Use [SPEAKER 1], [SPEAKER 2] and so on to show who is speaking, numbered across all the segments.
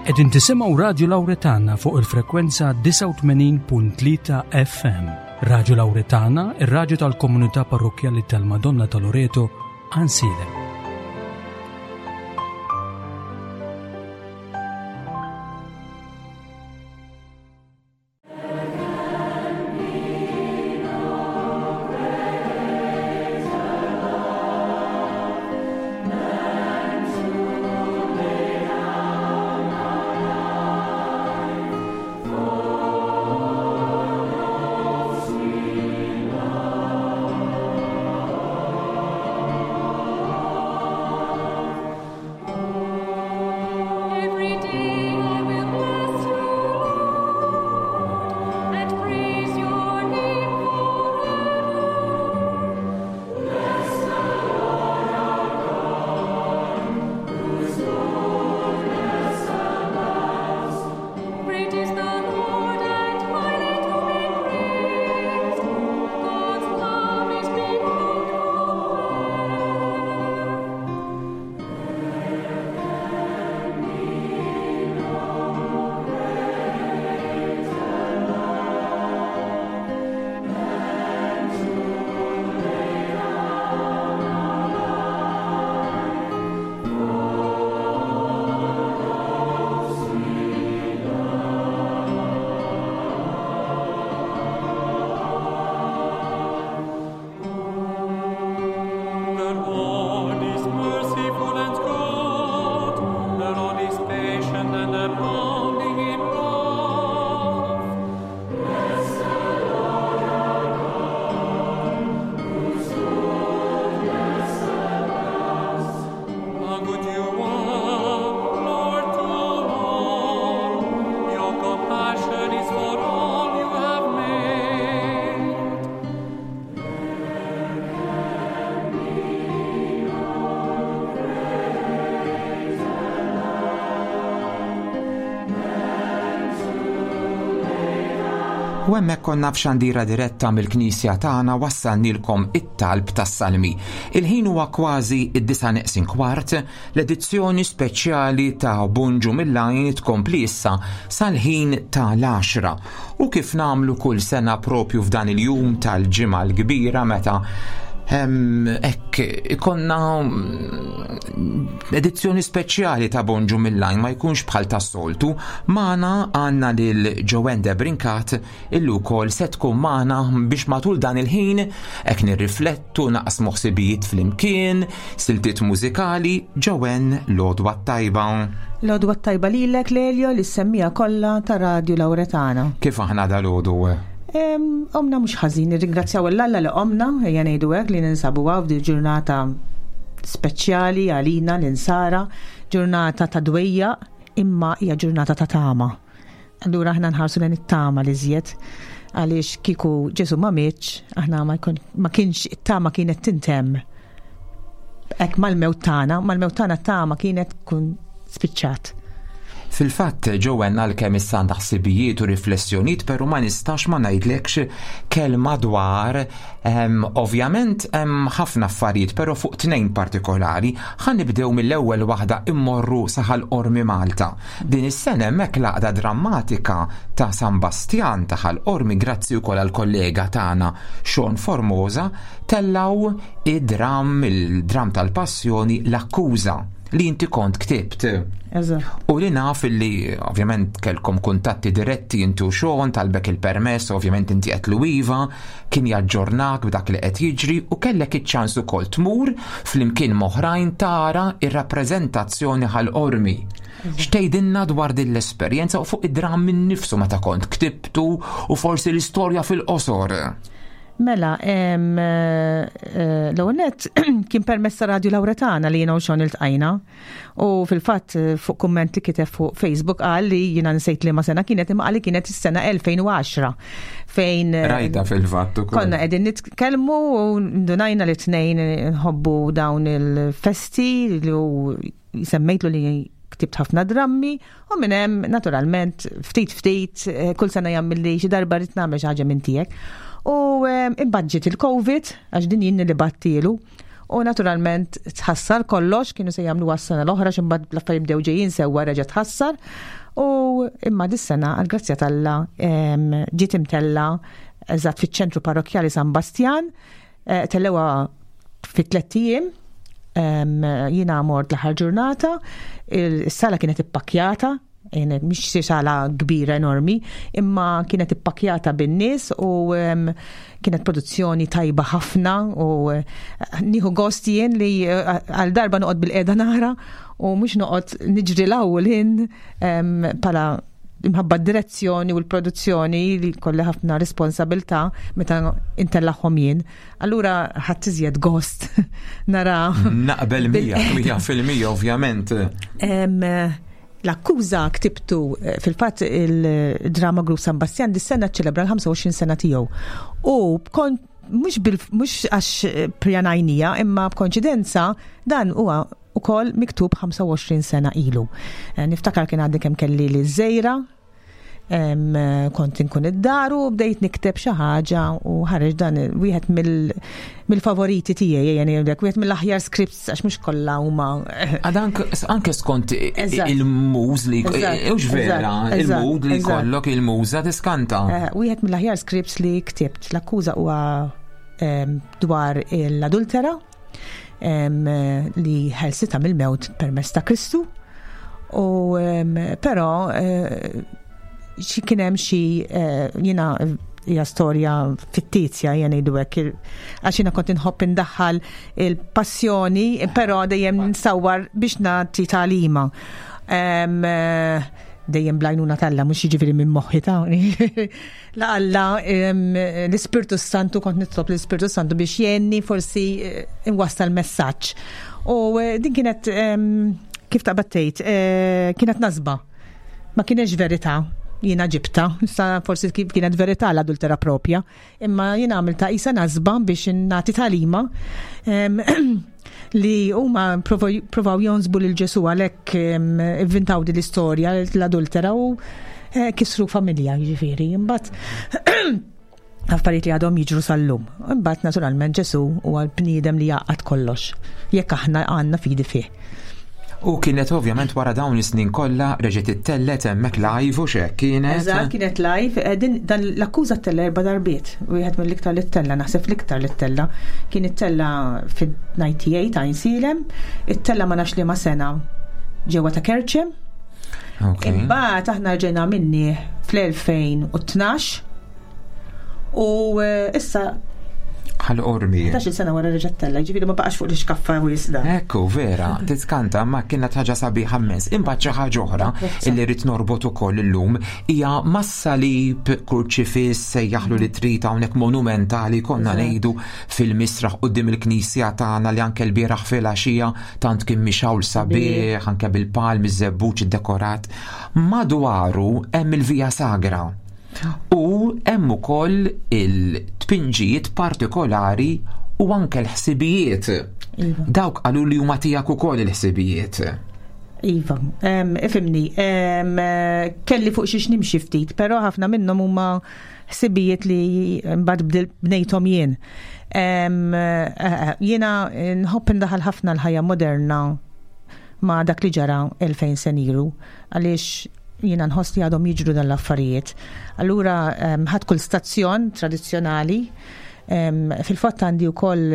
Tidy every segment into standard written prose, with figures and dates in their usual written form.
[SPEAKER 1] Qegħdin tisimgħu Radju Lawretana fuq il-frekwenza 89.3 FM. Radju Lawretana, ir-radju tal-komunità parrokkjali tal-Madonna ta' Loreto, Għansielem.
[SPEAKER 2] U hemmhekk konna f'xandira diretta mill-knisja tagħna wassalnilkom it-talb tas-salmi. Il-ħin huwa kważi id-disa neqsin kwart, l-edizzjoni speċjali ta' Bunġu mill-Għajn tkompli issa sal-ħin ta' l-għaxra. U kif nagħmlu kull sena propju f'dan il-jum tal-Ġimgħa l-Kbira meta hekk ikonna mm, edizzjoni speċjali ta' Bonġu mill-Lajn ma jkunx bħal tas-soltu, magħna għandna lil Joanne Debrincat illi wkoll se tkun magħna biex matul dan il-ħin hekk nirriflettu naqsmu ħsibijiet flimkien, siltiet mużikali, Joanne l-għodwa t-tajba.
[SPEAKER 3] L-għodwa t-tajba lilek Lelio li semmija kollha ta' Radju Lawretana.
[SPEAKER 2] Kif aħna dal-għodu?
[SPEAKER 3] Omna mhux ħażin, nirringrazzjaw l-Alla li qomna, ejja ngħidu hekk li ninsabu hawn f'dil ġurnata speċjali għalina l-insara, ġurnata ta' dwejjaq imma hija ġurnata ta' tama. Allura aħna nħarsu lejn it-tama li żjed għaliex kieku Ġesu ma mietx, aħna ma kienx it-tama kienet tintemm. Hekk mal-mewt tagħna, mal-mewt tagħna t-tama kienet tkun spiċċat.
[SPEAKER 2] Fil-fatt, Joanne għalkemm issa għandha ħsibijiet u riflessjonijiet, però ma nistax ma ngħidlekx kelma dwar ehm, ovvjament hemm ħafna affarijiet, però fuq tnejn partikolari. Ħa nibdew mill-ewwel waħda immorru sa Ħal Qormi Malta. Din is-sena hemmhekk l-Għaqda Drammatika ta' San Bastjan ta' Ħal Qormi grazzi wkoll għall-kollega tagħna Sean Formosa tellgħu id-dramm, il-dramm tal-passjoni L-Akkuża li inti kont ktibt. U li naf li ovvjament kellkom kuntatti diretti inti u Sean talbek il-permess, ovvjament inti qed iva, kien jaġġornak b'dak li qed jiġri u kellek iċ-ċans ukoll tmur flimkien m'oħrajn tara ir-rappreżentazzjoni Ħal Qormi. X'tgħidilna dwar din l-esperjenza u fuq id-dramm innifsu meta kont ktibtu u forsi l-istorja fil-qosor?
[SPEAKER 3] Mela, eh, eh, l-ewwel nett kien permezz ta' Radju Lawretana li jiena u Sean iltqajna. U fil-fatt eh, fuq kumment li kiteb fuq Facebook qal li jiena nsejt li ma sena kienet imma qal li kienet is-sena 2010 fejn
[SPEAKER 2] eh, Rajta fil-fatt
[SPEAKER 3] ukoll. Konna qegħdin nitkellmu u ndunajna li tnejn nħobbu dawn il-festi li u semmejtlu li ktibt ħafna drammi u minn hemm naturalment ftit ftit eh, kull sena jagħmilli xi darba rrid nagħmel xi ħaġa minn tiegħek. U imbagħad ġiet il-Covid għax din jien li battilu. U naturalment tħassar kollox, kienu se jagħmlu għas-sena l-oħra x'imbagħad l-affarijiet bdew ġejjin sewwa reġa' tħassar. U imma dis-sena għall-grazzja t'Alla ġiet imtella eżatt fiċ-ċentru parrokkjali San Bastjan, eh, tellewa fi tlett ijiem, jiena mort l-aħħar ġurnata, is-sala kienet ippakkjata, mhix xi sala kbira enormi, imma kienet ippakkjata bin-nies u kienet produzzjoni tajba ħafna u eh, nieħu gost jien li eh, għal darba noqgħod bil-qiegħda nara u mhux noqgħod niġri l-ewwel ħin pala imħabba d-direzzjoni u l-produzzjoni li kolli ħafna responsabilta meta intellaħħom jien. Allura ħadd iżjed gost nara.
[SPEAKER 2] Naqbel 100% ovvjament.
[SPEAKER 3] L-akkuża ktibtu eh, fil-fatt il-Drama Group San Bastian dis-sena ċelebra l-25 sena tiegħu. U kont mhux mhux għax eh, pjanajnija imma b'konċidenza dan huwa ukoll miktub 25 sena ilu. Eh, niftakar kien għadni kemm kelli li żejra kont inkun id-dar u bdejt nikteb xi ħaġa u ħareġ dan wieħed mill-favoriti tiegħi jgħin jgħidlek wieħed mill-aħjar scripts għax mhux kollha huma.
[SPEAKER 2] Għad anke skont il-muż li hux vera, il-mood li jkollok il-muża tiskanta.
[SPEAKER 3] Eh, wieħed mill-aħjar scripts li ktibt l-akkuża huwa dwar l-adultera li ħelsita mill-mewt permezz ta' Kristu. U però eh, xi kien hemm xi eh, jiena hija storja fittizja jien ngħidu hekk għax jiena kont inħobb indaħħal il-passjoni, però dejjem nsawwar biex nagħti tagħlima. Eh, dejjem blajnuna talla, mhux jiġifieri minn moħħi ta' La Alla l-Ispirtu Santu kont nitlob l-Ispirtu Santu biex jgħinni forsi eh, inwassal messaġġ. U eh, din kienet kif taqbad tgħid, eh, kienet nasba. Ma kienx verità jiena ġibta, issa forsi kienet verità l-adultera propja, imma jiena għamilta isa nasba biex nagħti talima li huma provaw jonsbu lil Ġesu għalhekk ivvintaw din l-istorja l-adultera u eh, kisru familja jiġifieri. Imbagħad affarijiet li għadhom jiġru sal-lum. Imbagħad naturalment Ġesu huwa l-bniedem li jgħaqqad kollox jekk aħna għandna fidi fih.
[SPEAKER 2] U kienet ovvjament wara dawn is-snin kollha reġgħet ittellet hemmhekk live u x'hekk kienet.
[SPEAKER 3] Eżatt, kienet live. Eh, din dan l-akkuża ttella erba' darbiet. Wieħed mill-iktar li ttella, naħseb l-iktar li ttella. Kien ittella fid-98 Għajnsielem, ittella ma nafx liema sena ġewwa ta' Kerċem. Imbagħad aħna rġejna minni fl-2012 U eh, issa
[SPEAKER 2] Ħal ormi.
[SPEAKER 3] 11 sena wara reġa' tella, ġifieri ma baqax fuq l-iskaffa u jisda.
[SPEAKER 2] Ekku, vera, tiskanta ma kienet ħaġa sabiħa mmens. Imbagħad xi ħaġa oħra illi rrid norbot ukoll illum hija mas-salib kurċifiss sejjaħlu li trid hawnhekk monumentali konna ngħidu fil-misraħ quddiem il-knisja tagħna li anke l-bieraħ filgħaxija tant kien mixawl sabiħ anke bil-palmi żebbuġ iddekorat. Madwaru hemm il-Via Sagra. U hemm ukoll il-tpinġijiet partikolari u anke l-ħsibijiet. Iva. Dawk qalu li huma tiegħek ukoll il-ħsibijiet.
[SPEAKER 3] Iva, ifimni, kelli fuq xiex nimxi ftit, però ħafna minnhom huma ħsibijiet li mbagħad bnejthom jien. Eh, eh, jiena nħobb indaħal ħafna l-ħajja moderna ma' dak li ġara 2000 senilu għaliex jiena nħoss li għadhom jiġru dan l-affarijiet. Allura ħadd kull stazzjon tradizzjonali fil-fatt għandi wkoll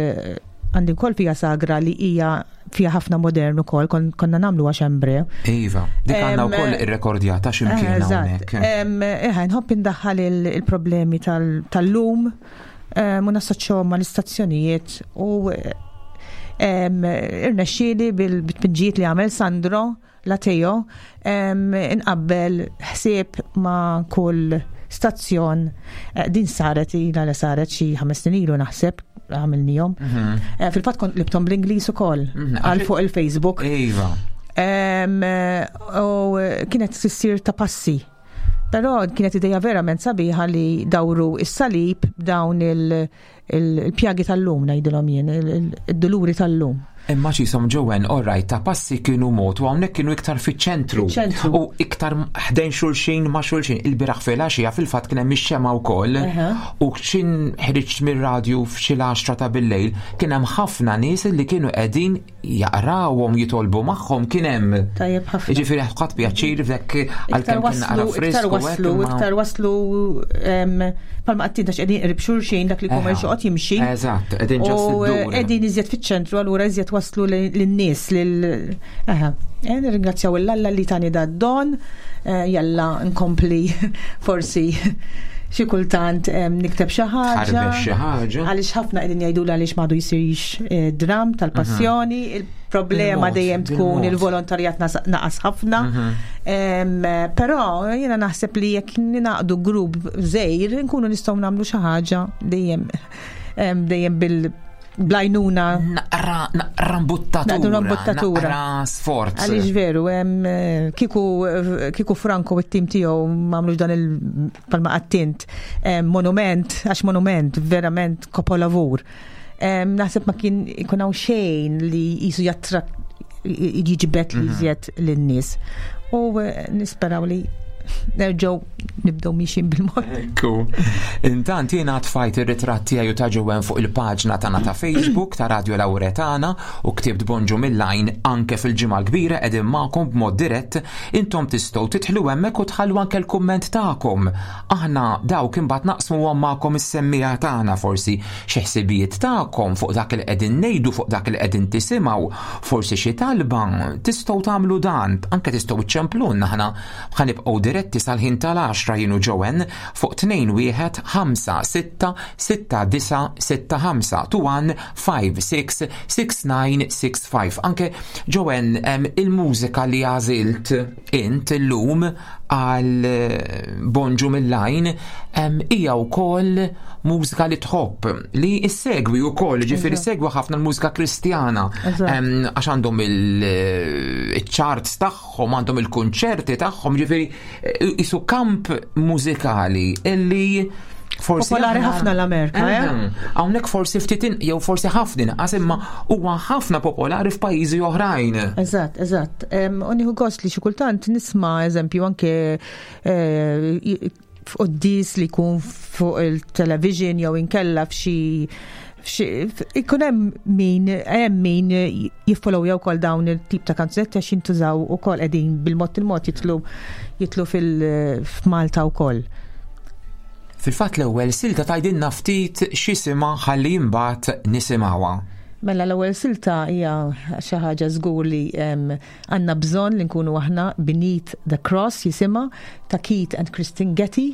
[SPEAKER 3] għandi wkoll fija sagra li hija fija ħafna modern ukoll konna nagħmlu għax embre.
[SPEAKER 2] Iva, dik għandna wkoll irrekordjata x'imkien hawnhekk.
[SPEAKER 3] Eħe, nħobb indaħħal il-problemi tal-lum u nassoċjahom mal-istazzjonijiet u irnexxieli bil-tpinġijiet li għamel Sandro Lateo, inqabbel ħsieb ma' kull stazzjon. Eh, din saret ilha li saret xi ħames snin ilu naħseb għamilnihom. Mhm. Eh, fil-fatt kont libtom bl-Ingliż ukoll mhm. għal fuq il-Facebook.
[SPEAKER 2] Iva.
[SPEAKER 3] Eh, u kienet tissir ta' passi. Però kienet ideja verament sabiħa li dawru is-salib b'dawn il-pjagi tal-lum ngħidilhom jien, il-duluri tal-lum.
[SPEAKER 2] Imma xisom ġewen, all right, ta' passi kienu mod u hawnhekk kienu iktar fiċ-ċentru.
[SPEAKER 3] Fiċ-ċentru.
[SPEAKER 2] U iktar ħdejn xulxin ma' xulxin. Il-biraħ filgħaxija fil-fatt kien hemm ix-xemgħa wkoll. U x'in ħriġt mir-radju f'xi l-għaxra ta' billejl, kien hemm ħafna nies li kienu qegħdin jaqrawhom jitolbu magħhom kien hemm.
[SPEAKER 3] Tajjeb ħafna.
[SPEAKER 2] Jiġifieri ħadd pjaċir f'dek għalkemm kien naqra
[SPEAKER 3] Iktar waslu, iktar waslu palma qattin tax qegħdin qrib xulxin dak li jkun xoqgħod jimxi.
[SPEAKER 2] Eżatt, qegħdin ġast
[SPEAKER 3] iddur. Qegħdin iżjed fiċ-ċentru allura iżjed waslu lin-nies lil aha. Eh, nirringrazzjaw l-Alla li tani da don, eh, jalla nkompli forsi xi kultant nikteb xi ħaġa.
[SPEAKER 2] xi ħaġa.
[SPEAKER 3] Għaliex ħafna qegħdin jgħidulu għaliex m'għadu jsirx eh, dram tal-passjoni, mhm. il-problema dejjem tkun il-volontarjat naqas ħafna. Mhm. Però jiena naħseb li jekk ninaqdu grupp żgħir nkunu nistgħu nagħmlu xi ħaġa dejjem dejjem bil blajnuna.
[SPEAKER 2] Naqra, naqra mbuttatura.
[SPEAKER 3] Naqra mbuttatura.
[SPEAKER 2] Naqra sforz.
[SPEAKER 3] Għaliex veru, eh, kiku, kiku Franco u t-tim tiegħu m'għamlux dan il-palma għattint monument, għax monument, verament kopolavur. Naħseb ma kien ikun hawn xejn li jisu jattra jiġbet li mhm. jżjed lin-nies. U eh, nisperaw li nerġgħu nibdew miexin bil-mod.
[SPEAKER 2] Ekku. Intant jiena tfajt ir-ritratt tiegħi ta' ġewwen fuq il-paġna tagħna ta' Facebook ta' Radio Lauretana u ktibt bonġu mill-għajn anke fil-ġimgħa l-kbira qegħdin magħkom b'mod dirett intom tistgħu tidħlu hemmhekk u tħallu anke l-kumment tagħkom. Aħna dawk imbagħad naqsmuhom magħkom is-semmiegħa tagħna forsi xi ħsibijiet tagħkom fuq dak li qegħdin ngħidu fuq dak li qegħdin tisimgħu, forsi xi talba, tistgħu tagħmlu dan, anke tistgħu iċċemplulna aħna ħa nibqgħu diretti sal-ħin tal-għaxra jien u Joanne fuq 2 1 5 6 6 9 6 5 2 1 5 6 6 9 6 5. Anke Joanne il-mużika li għażilt int illum għal eh, Bonġu mill-lajn hija wkoll mużika li tħobb li issegwi wkoll, ġifieri segwi ħafna l-mużika Kristjana għax għandhom il-charts eh, tagħhom, għandhom il-kunċerti tagħhom, ġifieri eh, isu kamp mużikali illi
[SPEAKER 3] forsi. Popolari ħafna l-Amerika, eh?
[SPEAKER 2] Hawnhekk forsi ftit jew forsi ħafna inqas imma huwa ħafna popolari f'pajjiżi oħrajn.
[SPEAKER 3] Eżatt, eżatt. U nieħu gost li xi kultant nisma' eżempju anke eh, f'quddis li jkun fuq il-television jew inkella f'xi ikun hemm min hemm min jiffollowja wkoll dawn il-tip ta' kanzunetti għax jintużaw ukoll qegħdin bil-mod il-mod jitlu jitlu fil-Malta wkoll.
[SPEAKER 2] Fil-fatt l-ewwel silta tgħidilna ftit x'isimha ħalli imbagħad nisimgħuha.
[SPEAKER 3] Mela l-ewwel silta hija xi ħaġa żgur li għandna bżonn li nkunu aħna Beneath the Cross jisimha ta' Keith and Christine Getty.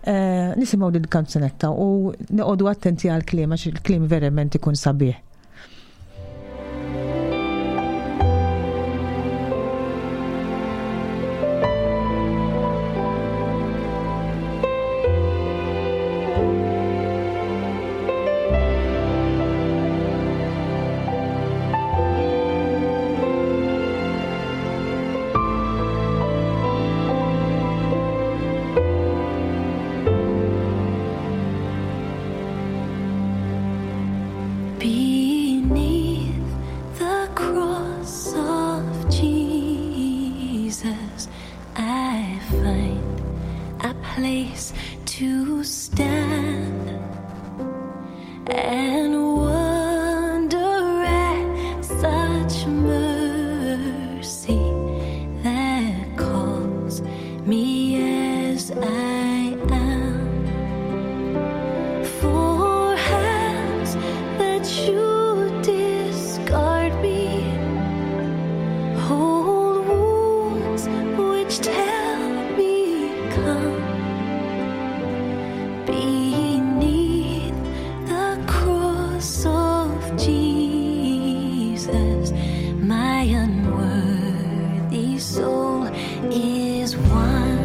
[SPEAKER 3] Eh, nisimgħu din kanzunetta u noqogħdu attenti għall-kliem għax il-kliem verament ikun sabiħ.
[SPEAKER 4] Beneath the cross of Jesus, I find a place to stand and wonder at such mercy that calls me as I am. For hands that should discard me hold wounds which tell me come. Beneath the cross of Jesus, my unworthy soul is won.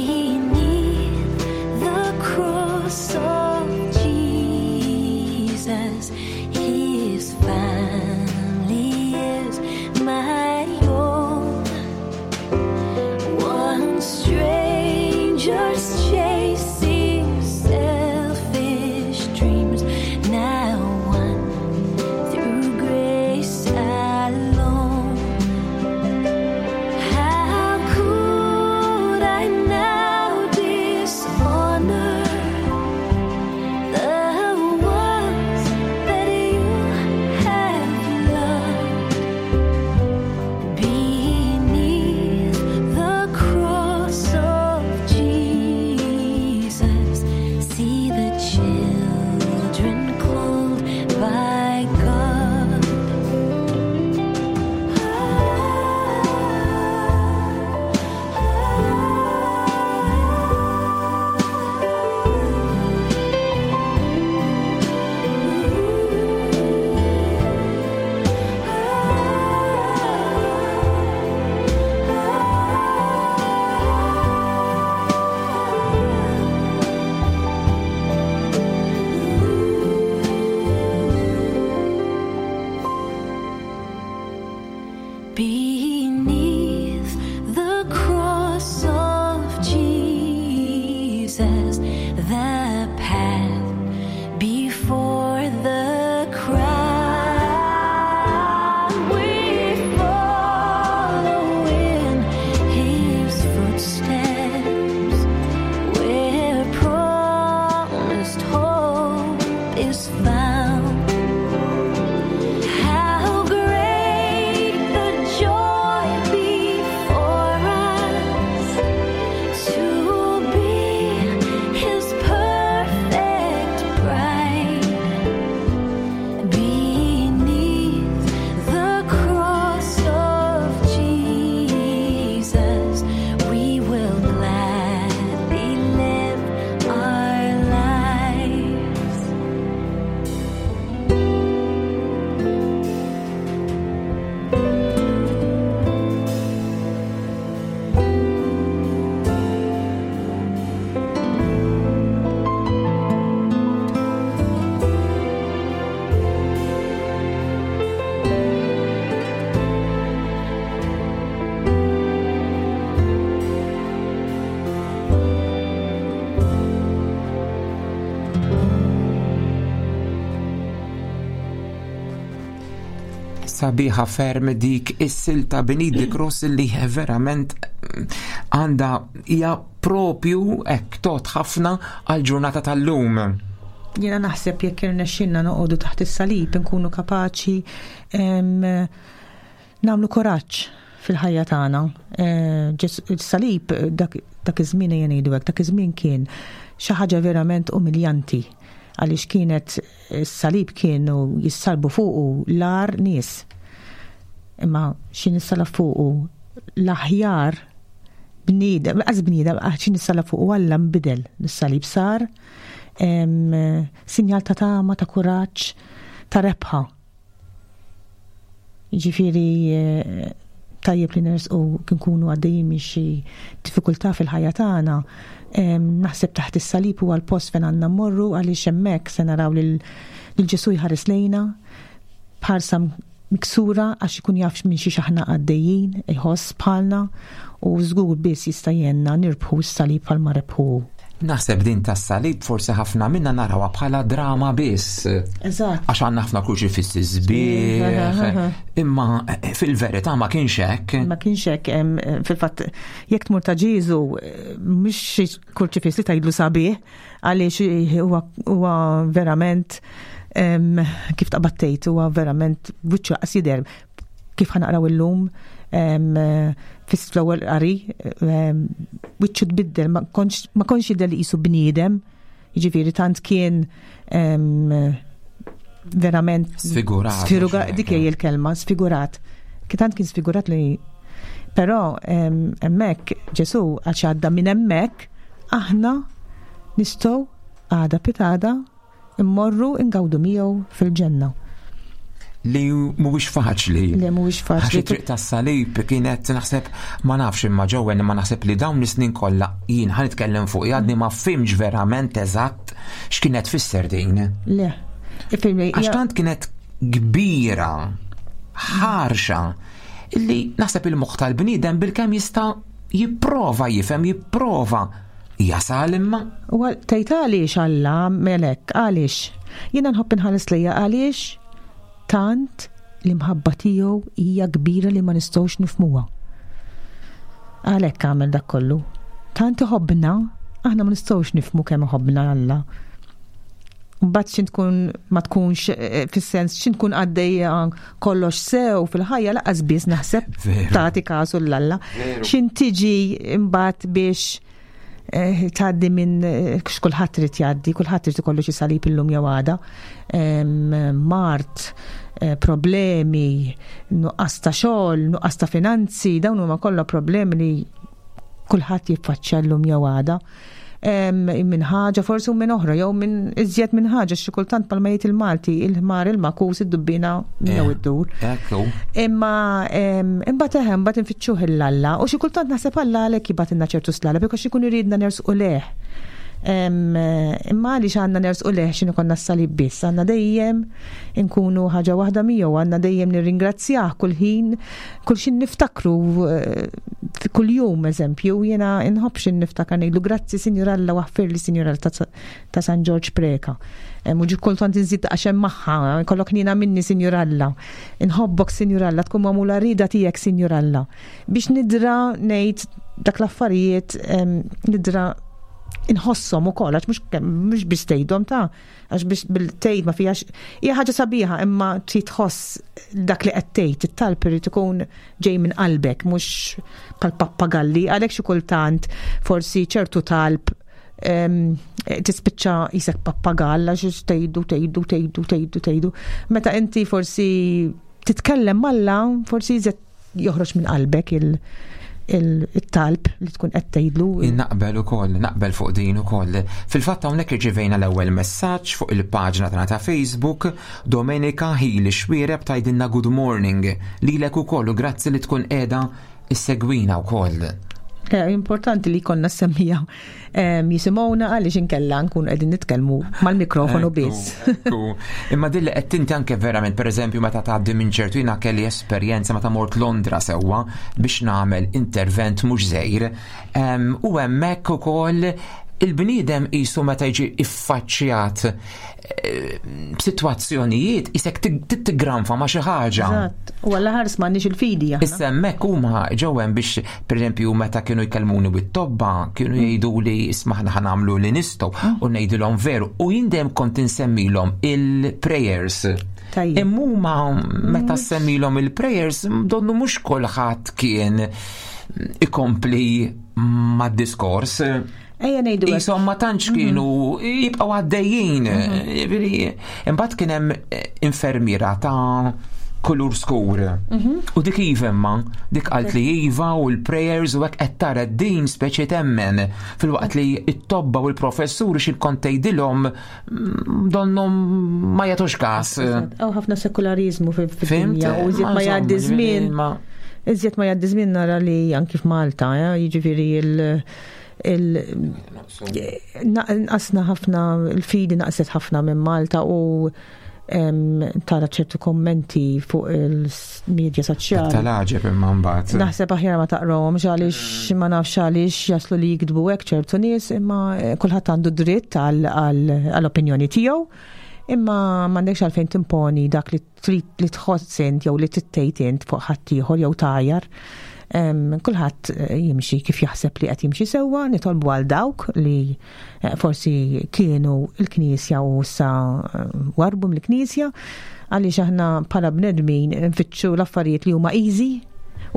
[SPEAKER 4] Beneath the cross of Jesus, his family is my own. One stranger's chasing selfish is found. How great the joy before us to be His perfect bride. Beneath the cross of Jesus, we will gladly live our lives.
[SPEAKER 2] Sabiħa ferm dik is-silta Beneath the Cross li verament għandha hija propju hekk tot ħafna għal ġurnata tal-lum.
[SPEAKER 3] Jiena naħseb jekk irnexxinna noqogħdu taħt is-salib inkunu kapaċi nagħmlu kuraġġ fil-ħajja tagħna. Is-salib dak iż-żmien ejja ngħidu hekk, dak iż-żmien kien xi ħaġa verament umiljanti għaliex kienet is-salib kienu jissalbu fuqu l-agħar nies. Imma xi nissalab fuqu l-aħjar bniedem, qas bniedem, xi nissalab fuqu Alla nbidel. Is-salib sar sinjal ta' tama, ta' kuraġġ, ta' rebħa. Jiġifieri tajjeb li nersqu nkunu għaddejjin minn xi diffikultà fil-ħajja tagħna, naħseb taħt is-salib huwa l-post fejn għandna mmorru għaliex hemmhekk se naraw lil Ġesù jħares lejna b'ħarsa miksura għax ikun jaf minn xiex aħna għaddejjin, iħoss bħalna u żgur biss jista' jgħinna nirbħu s-salib bħalma rebħu hu.
[SPEAKER 2] Naħseb din tas-salib forsi ħafna minna narawha bħala drama biss.
[SPEAKER 3] Eżatt.
[SPEAKER 2] Għax għandna ħafna kruċifissi sbieħ. Imma fil-verità ma kienx hekk.
[SPEAKER 3] Ma kienx hekk, fil-fatt jekk tmur ta' Ġieżu mhux xi kruċifiss li tgħidlu sabiħ għaliex huwa verament kif taqbad tgħid huwa verament wiċċu qas jidher kif ħanaqraw illum fl-ewwel qari wiċċu tbiddel ma kontx jidher li qisu bniedem, jiġifieri tant kien verament
[SPEAKER 2] sfigurat.
[SPEAKER 3] Dik hija l-kelma, sfigurat. Tant kien sfigurat li però hemmhekk Ġesù għax għadda minn hemmhekk aħna nistgħu għada pitada immorru ingawdu miegħu fil-ġenna.
[SPEAKER 2] Li mhuwiex faċli.
[SPEAKER 3] Li mhuwiex faċli.
[SPEAKER 2] Għax it-triq tas-salib kienet naħseb ma nafx imma ġewwen imma naħseb li dawn is-snin kollha jien ħa nitkellem fuq għadni ma fimx verament eżatt x'kienet tfisser din.
[SPEAKER 3] Le.
[SPEAKER 2] Għax tant kienet kbira, ħarxa, illi naħseb il-moħħ tal-bniedem bilkemm jista' jipprova jifhem, jipprova jasal imma.
[SPEAKER 3] U tgħid għaliex Alla melek, għaliex? Jiena nħobb inħares lejha għaliex tant l-imħabba tiegħu hija kbira li ma nistgħux nifhmuha. Għalhekk għamel dak kollu. Tant iħobbna, aħna ma nistgħux nifhmu kemm iħobbna Alla. Mbagħad xi tkun ma tkunx fis-sens xi tkun għaddejja kollox sew fil-ħajja laqas biss naħseb tagħti kasu l Alla. Xi tiġi mbagħad biex tgħaddi minn x'kulħadd irid jgħaddi, kulħadd irid ikollu xi salib illum jew għada. Mart, problemi, nuqqas ta' xogħol, nuqqas ta' finanzi, dawn huma kollha problemi li kulħadd jiffaċċja llum jew għada. Minn ħaġa forsi u minn oħra, jew minn iżjed minn ħaġa, xi kultant bħalma jgħid il-Malti, il-ħmar il-makus, id-dubbina jew id-dur. Imma imbagħad eħe, imbagħad infittxuh il-Alla, u xi kultant naħseb Alla għalhekk jibgħatilna ċertu slala, biex ikun iridna nersqu leh. Imma għaliex għandna nersqu leh x'inhu konna s-salib biss, għandna dejjem inkunu ħaġa waħda miegħu, għandna dejjem nirringrazzjah kull ħin, kull xi niftakru kull jum, eżempju, jiena nħobb xi niftakar ngħidlu grazzi Sinjur Alla waħfirli Sinjur Alla ta' San Ġorġ Preca. U ġi kultant inżid għax hemm magħha, kollok nina minni Sinjur Alla. Inħobbok Sinjur Alla, tkun magħmula rida tiegħek Sinjur Alla. Biex nidra ngħid dak l-affarijiet, nidra Inħosshom ukoll għax mhux biss tgħidhom ta' għax biex bil-tgħid ma fihax hija ħaġa sabiħa imma trid tħoss dak li qed tgħid, it-talb irid ikun ġej minn qalbek mhux bħal pappagalli għalhekk xi kultant forsi ċertu talb tispiċċa jisek pappagall għax tgħidu tgħidu tgħidu tgħidu tgħidu. Meta inti forsi titkellem malla forsi jżed joħroġ minn qalbek il-talb li tkun qed tgħidlu.
[SPEAKER 2] Naqbel ukoll, naqbel fuq din ukoll. Fil-fatt hawnhekk irċivejna l-ewwel messaġġ fuq il-paġna tagħna ta' Facebook, Domenica Hili Xwiereb tgħidilna good morning lilek ukoll u grazzi li tkun qiegħda issegwina wkoll.
[SPEAKER 3] Importanti li konna semmija jisimgħuna għaliex inkella nkun qegħdin nitkellmu mal-mikrofonu biss.
[SPEAKER 2] Imma dilli qed tinti anke verament pereżempju meta tgħaddi minn ċertu jiena kelli esperjenza meta mort Londra sewwa biex nagħmel intervent mhux żgħir. U hemmhekk ukoll il-bniedem qisu meta jiġi iffaċċjat eh, b'sitwazzjonijiet isek tigranfa ma' xi ħaġa.
[SPEAKER 3] Eżatt. U għalla ħares m'għandniex il-fidi aħna.
[SPEAKER 2] Issa hemmhekk huma ġew hemm biex pereżempju meta kienu jkellmuni bit-tobba kienu jgħidu li isma' aħna ħanamlu li nistgħu u ngħidilhom veru u jien dejjem kont insemmilhom il-prayers.
[SPEAKER 3] Tajjeb.
[SPEAKER 2] Imma huma meta semmilhom il-prayers donnu mhux kulħadd kien ikompli mad-diskors.
[SPEAKER 3] Ejja ngħidu hekk.
[SPEAKER 2] Isom ma tantx kienu jibqgħu għaddejjin. Jiġifieri, Imbagħad kien hemm infermiera ta' kulur skur. U dik iva imma, dik qalt li iva u l-prayers u hekk qed tara din speċi temmen filwaqt li t-tobba u l-professuri xi kont tgħidilhom donnom ma jagħtux każ.
[SPEAKER 3] Hawn ħafna sekularizmu
[SPEAKER 2] Fimt?
[SPEAKER 3] fid-dinja u iżjed ma jgħaddi
[SPEAKER 2] Insomma,
[SPEAKER 3] żmien.
[SPEAKER 2] ġifieri, ma-
[SPEAKER 3] Iżjed ma jgħaddi żmien nara li anki f'Malta, jiġifieri il- il- naqasna ħafna, il-fidi naqset ħafna minn Malta u tara ċertu kommenti fuq il-medja soċjali.
[SPEAKER 2] Tal-għaġeb imma mbagħad.
[SPEAKER 3] Naħseb aħjar ma taqrawhomx għaliex ma nafx għaliex jaslu li jiktbu hekk ċertu nies, imma kulħadd għandu dritt għall-opinjoni tiegħu. Imma m'għandekx għalfejn timponi dak li trid li tħoss int jew li tittejt int fuq ħaddieħor jew tajar. Kulħadd jimxi kif jaħseb li qed jimxi sewwa, nitolbu għal dawk li forsi kienu l-Knisja u issa warbu mill-Knisja, għaliex aħna bħala bnedmin nfittxu l-affarijiet li huma easy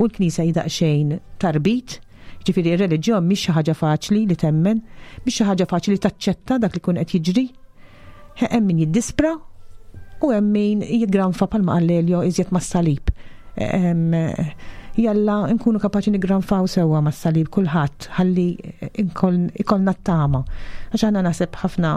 [SPEAKER 3] u l-Knisja hi daqsxejn tarbit. Ġifieri r-reliġjon mhix xi ħaġa faċli li temmen, mhix xi ħaġa faċli li taċċetta dak li jkun qed jiġri. Hemm min jiddispra u hemm min jiggranfa bħalma qal Lelio iżjed mas-salib. Jalla nkunu kapaċi niggranfaw sewwa mas-salib kulħadd ħalli ikollna t-tama. Għax aħna naħseb ħafna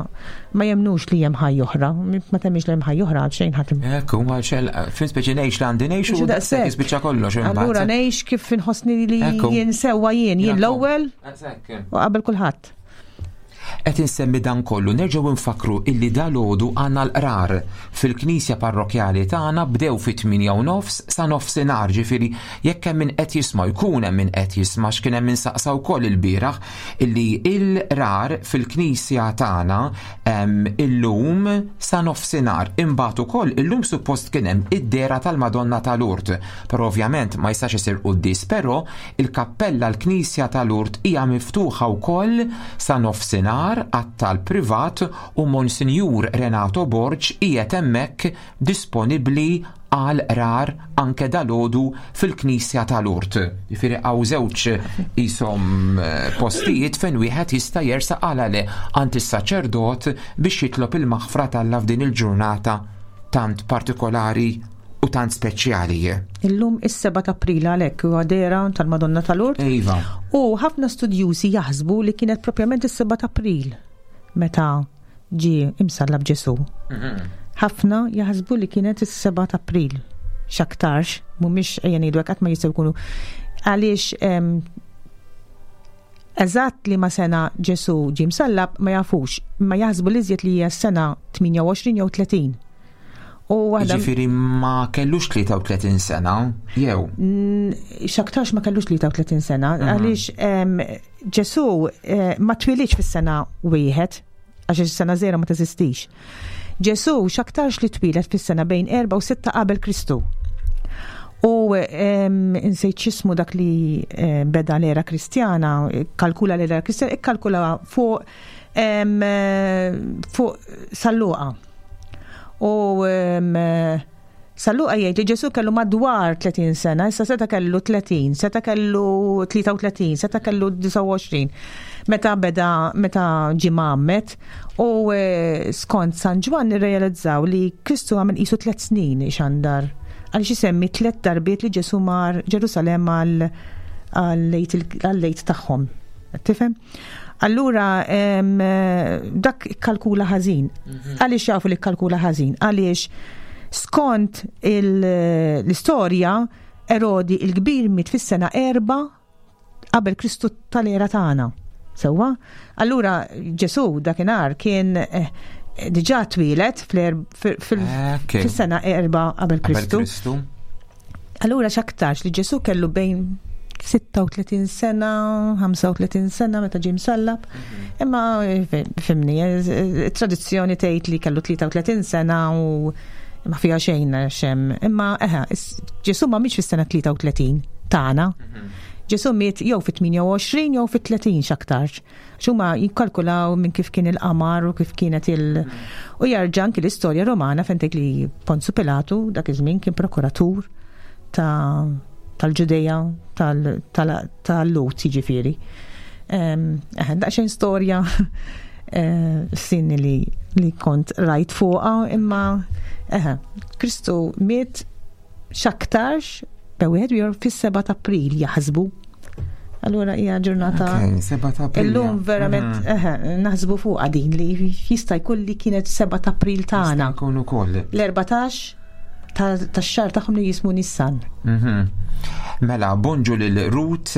[SPEAKER 3] ma jemnux li hemm ħajja oħra, ma temmix li hemm ħajja oħra għal xejn ħadd.
[SPEAKER 2] Ekku, ma xel, fin speċi ngħix li għandi ngħix u
[SPEAKER 3] Mhux
[SPEAKER 2] daqshekk
[SPEAKER 3] daqshekk.
[SPEAKER 2] jispiċċa kollox imbagħad.
[SPEAKER 3] Allura ngħix kif inħossni li
[SPEAKER 2] Ekku.
[SPEAKER 3] jien sewwa jien, jien
[SPEAKER 2] Ekku.
[SPEAKER 3] l-ewwel
[SPEAKER 2] Eżatt.
[SPEAKER 3] u qabel kulħadd.
[SPEAKER 2] Qed insemmi dan kollu, nerġgħu nfakru illi dalgħodu għandna l-qrar fil-Knisja Parrokjali tagħna bdew fit-tmienja u nofs sa nofsinhar, ġifieri jekk hemm min qed jisma' jkun hemm min qed jisma' x'kien hemm min saqsa wkoll ilbieraħ illi l-qrar fil-Knisja tagħna illum sa nofsinhar. Imbagħad ukoll illum suppost kien hemm id-dehra tal-Madonna ta' Lourdes, però ovvjament ma jistax isir quddies, però il-kappella l-Knisja ta' Lourdes hija miftuħa wkoll sa nofsinhar għat-talb privat u Monsinjur Renato Borg qiegħed hemmhekk disponibbli għal qrar anke dalgħodu fil-Knisja ta' Lourdes. Jiġifieri hawn żewġ ishom postijiet fejn wieħed jista' jersaq għal għale għand is-saċerdot biex jitlob il-maħfra t'Alla f'din il-ġurnata tant partikolari u tant speċjali.
[SPEAKER 3] Illum is-7 ta' April għalhekk huwa dehra tal-Madonna ta' Lourdes.
[SPEAKER 2] Iva.
[SPEAKER 3] U ħafna studjużi jaħsbu li kienet propjament is-7 ta' April meta ġie imsallab Ġesu. Ħafna jaħsbu li kienet is-7 ta' April. X'aktarx, mhumiex ejja ngħidu hekk qatt ma jistgħu jkunu. Għaliex eżatt li ma sena Ġesu ġie msallab ma jafux, ma jaħsbu li iżjed li hija s-sena 28 jew 30. U waħda
[SPEAKER 2] Jiġifieri ma kellux 33 sena, jew?
[SPEAKER 3] X'aktarx ma kellux 33 sena, għaliex Ġesu ma twilidx fis-sena wieħed, għax is-sena 0 ma teżistix. Ġesu x'aktarx li twieled fis-sena bejn 4 u 6 qabel Kristu. U insejt x'ismu dak li beda l-era Kristjana, kalkula l-era Kristjana, ikkalkula fuq fuq San Luqa. U San Luqa jgħid li Ġesu kellu madwar 30 sena, issa seta kellu 30, seta kellu 33, seta kellu 29. Meta beda, meta ġie mgħammed, u skont San Ġwann nirrealizzaw li Kristu għamel qisu 3 snin ixandar. Għaliex isemmi 3 darbiet li Ġesu mar Ġerusalemm għal-lejt tagħhom. Tifhem? Allura dak kalkula ħażin. Għaliex jafu li kalkula ħażin? Għaliex skont l-istorja Erodi il-kbir miet fis-sena 4 qabel Kristu tal-era tagħna. Sewwa? Allura Ġesu dakinhar kien diġà twieled fis-sena 4 qabel Kristu. Allura x'aktarx li Ġesu kellu bejn 36 sena, 35 sena meta ġie msallab. Imma fimni, tradizzjoni tgħid li kellu 33 sena u ma fiha xejn xem. Imma eħe, Ġesu ma mietx fis-sena 33 tagħna. Ġesu miet jew fit-28 jew fit-30 x'aktarx. X'huma jikkalkulaw minn kif kien il-qamar u kif kienet il- U jarġa' anki l-istorja Romana fejn tgħid li Ponzu Pilatu dak iż-żmien kien prokuratur tal-Ġudeja tal-Lut jiġifieri. Eħe, daqsxejn storja sinni li kont rajt fuqha, imma eħe, Kristu miet x'aktarx bejn wieħed u ieħor fis-7 ta' April jaħsbu. Allura hija ġurnata.
[SPEAKER 2] Okay, 7 ta' April.
[SPEAKER 3] Illum verament eħe, naħsbu fuqha din li jista' jkun li kienet 7 ta' April tagħna.
[SPEAKER 2] Jista' jkun ukoll.
[SPEAKER 3] L-14 tax-xahar tagħhom li jismu Nissan.
[SPEAKER 2] Mela, bonġu lil Ruth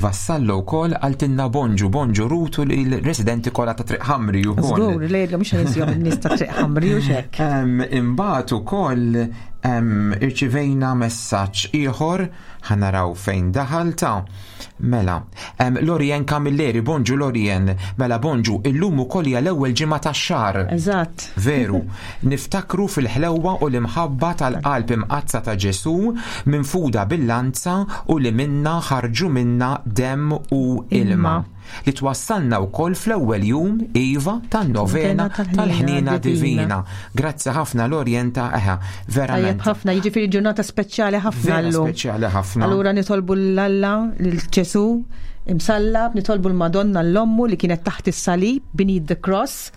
[SPEAKER 2] Vassallo wkoll għaltinna bonġu, bonġu Ruth u l-residenti kollha ta' Triq Ħamri wkoll.
[SPEAKER 3] Żgur, li jgħidlhom mhux nisjhom in-nies ta' Triq Ħamri u x'hekk.
[SPEAKER 2] Imbagħad ukoll irċivejna messaġġ ieħor, ħa naraw fejn daħal ta'. Mela, Lorien Camilleri, bonġu Lorien, mela bonġu, illum ukoll hija l-ewwel ġimgħa tax-xahar.
[SPEAKER 3] Eżatt.
[SPEAKER 2] Veru, niftakru fil-ħlewwa u l-imħabba tal-qalb imqaddsa ta' Ġesù minfuda bil-lanza u li minna ħarġu minna demm u ilma. Li twassalna wkoll fl-ewwel jum, iva, tan-novena tal-ħniena divina. Grazzi ħafna Lorien ta' eħa, verament.
[SPEAKER 3] Tajjeb ħafna, jiġifieri ġurnata speċjali ħafna
[SPEAKER 2] Vera
[SPEAKER 3] llum.
[SPEAKER 2] speċjali ħafna.
[SPEAKER 3] Allura nitolbu l-Alla, lil Ġesù imsallab, nitolbu l-Madonna l-Ommu li kienet taħt is-salib, beneath the cross.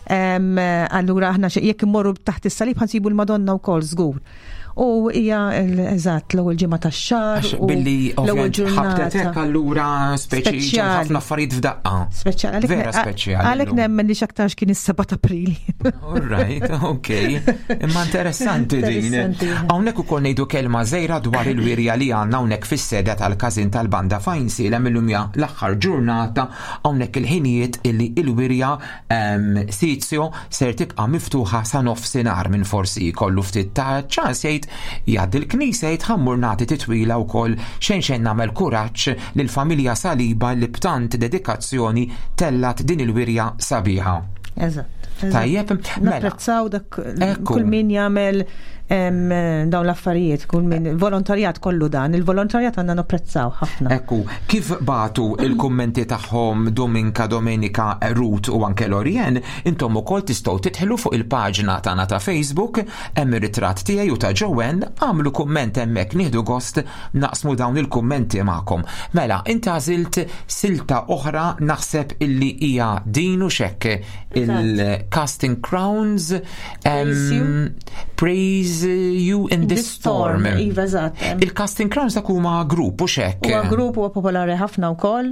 [SPEAKER 3] Allura aħna jekk immorru taħt is-salib ħansibu l-Madonna wkoll żgur. U hija eżatt l-ewwel ġimgħa tax-xahar
[SPEAKER 2] Għax
[SPEAKER 3] u
[SPEAKER 2] billi
[SPEAKER 3] l-ewwel
[SPEAKER 2] ovvjament
[SPEAKER 3] ġurnata.
[SPEAKER 2] ħabtet hekk allura speċi ġew
[SPEAKER 3] Speċjali.
[SPEAKER 2] ħafna affarijiet f'daqqa.
[SPEAKER 3] Speċjali. Għalhekk
[SPEAKER 2] Vera speċjali
[SPEAKER 3] Għalhekk
[SPEAKER 2] llum.
[SPEAKER 3] nemmen li x'aktarx kien is-7 ta' April.
[SPEAKER 2] All right, ok. Imma interessanti din.
[SPEAKER 3] Interessanti.
[SPEAKER 2] Hawnhekk ukoll ngħidu kelma żgħira dwar il-wirja li għandna hawnhekk fis-seda tal-każin tal-Banda Fajnsielem illum hija l-aħħar ġurnata hawnhekk il-ħinijiet illi il-wirja Sizio ser tibqa' miftuħa sa nofsinhar minn forsi jkollu ftit ta' ċans jgħid jgħaddi l-knisja jgħid ħammur nagħti titwila wkoll xejn xejn nagħmel kuraġġ lill-familja Saliba li b'tant dedikazzjoni tellat din il-wirja sabiħa.
[SPEAKER 3] Eżatt, eżatt.
[SPEAKER 2] Tajjeb, mela.
[SPEAKER 3] Napprezzaw dak
[SPEAKER 2] Ekku.
[SPEAKER 3] kull min jagħmel dawn l-affarijiet, kull min volontarjat kollu dan, il-volontarjat għandna napprezzaw ħafna.
[SPEAKER 2] Ekku, kif batu il-kummenti tagħhom Dominka, Domenika, Ruth u anke Lorien, intom ukoll tistgħu tidħlu fuq il-paġna tagħna ta' Facebook, hemm ir-ritratt tiegħi u ta' Joanne, għamlu kumment hemmhekk, nieħdu gost naqsmu dawn il-kummenti magħkom. Mela, inti għażilt silta oħra naħseb illi hija din u xekk il-Casting Crowns,
[SPEAKER 3] Praise you.
[SPEAKER 2] Praise You in the
[SPEAKER 3] The Storm.
[SPEAKER 2] Storm.
[SPEAKER 3] Iva, eżatt.
[SPEAKER 2] Il-Casting Crowns dak huma grupp u xekk.
[SPEAKER 3] Huwa grupp huwa popolari ħafna wkoll.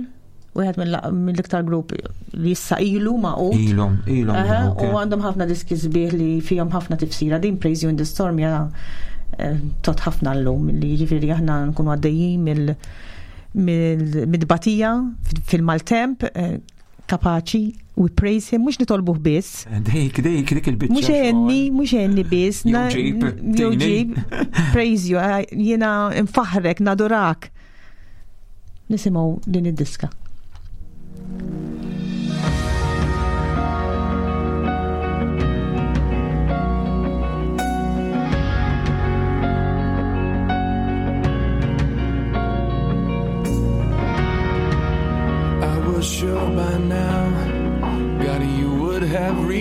[SPEAKER 3] Wieħed mill-iktar grupp li issa ilu magħqud.
[SPEAKER 2] Ilhom, ilhom,
[SPEAKER 3] Aha,
[SPEAKER 2] ok.
[SPEAKER 3] u għandhom ħafna diski sbieħ li fihom ħafna tifsira. Din Praise You in the Storm hija tot ħafna llum li jiġifieri aħna nkunu għaddejjin mid-batija fil-maltemp, kapaċi we praise him, mhux nitolbuh biss.
[SPEAKER 2] Dik, dik, dik il-biċċa
[SPEAKER 3] Mhux għenni,
[SPEAKER 2] xogħol.
[SPEAKER 3] mhux għenni biss,
[SPEAKER 2] Jew ġib,
[SPEAKER 3] jew
[SPEAKER 2] tini.
[SPEAKER 3] ġib, praise you, jiena nfaħrek, nadurak. Nisimgħu din id-diska.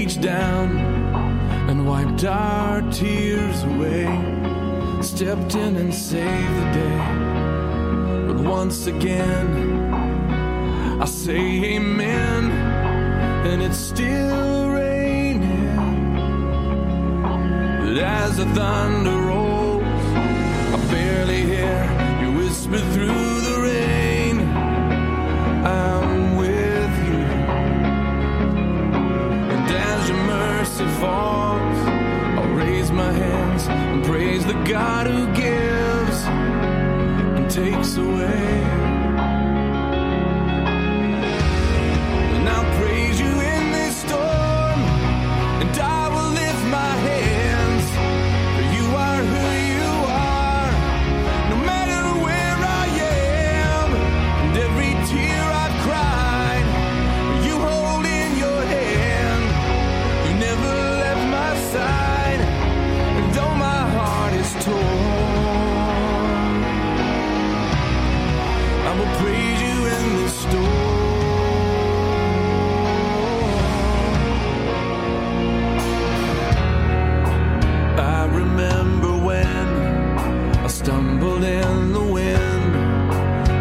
[SPEAKER 5] reached down and wiped our tears away, stepped in and saved the day. But once again, I say amen, and it's still raining. But as the thunder rolls, I barely hear you whisper through the rain. I'm with you. And as your mercy falls, I'll raise my hands and praise the God who gives and takes away. And I'll praise you in this storm, and I will lift my hands, for you are who you are, no matter where I am. And every tear I've cried, you hold in your hand. You never left my side, and though my heart is torn, I will praise you in this storm. I remember when I stumbled in the wind.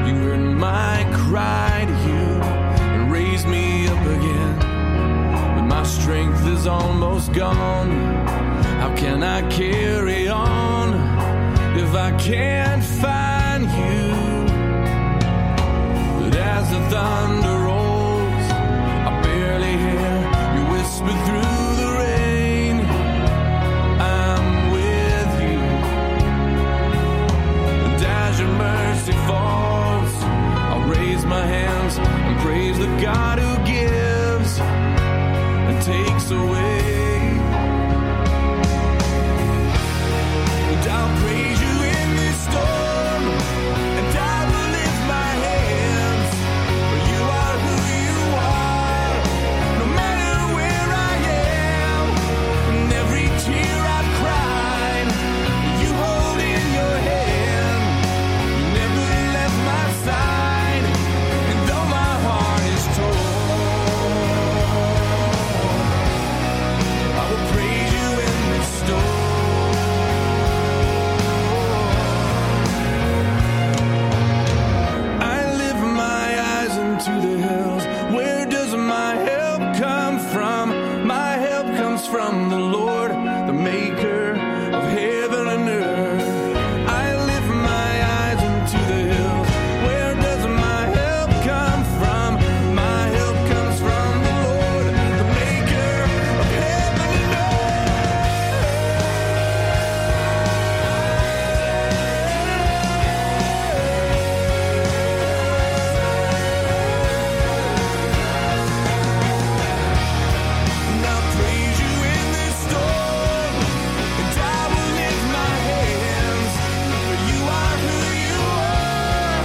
[SPEAKER 5] You heard my cry to you and raised me up again. But my strength is almost gone. How can I carry on if I can't find you? But as the thunder rolls, I barely hear you whisper through the rain. I'm with you. And as your mercy falls, I'll raise my hands and praise the God who gives and takes away. And I'll praise you in this storm, and I will lift my hands, for you are who you are, no matter where I am. And every tear I've cried, you hold in your hand. You never left my side, and though my heart is torn, I will praise you in this storm. I lift my eyes into the hills. Where does my help come from? My help comes from the Lord, the maker of heaven and earth. I lift my eyes into the hills. Where does my help come from? My help comes from the Lord, the maker of heaven and And I'll praise you in this storm, and I will lift my hands, for you are who you are,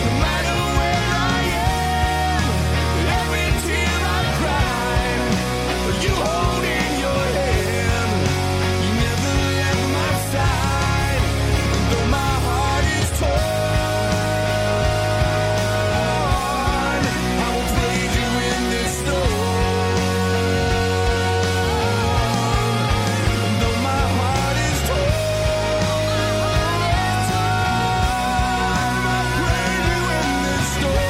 [SPEAKER 5] no matter where I am. Every tear I've cried, you hold in your hand. You never left my side, and though my heart is torn, I will praise you in this storm. Though my heart is torn, I praise you in this storm.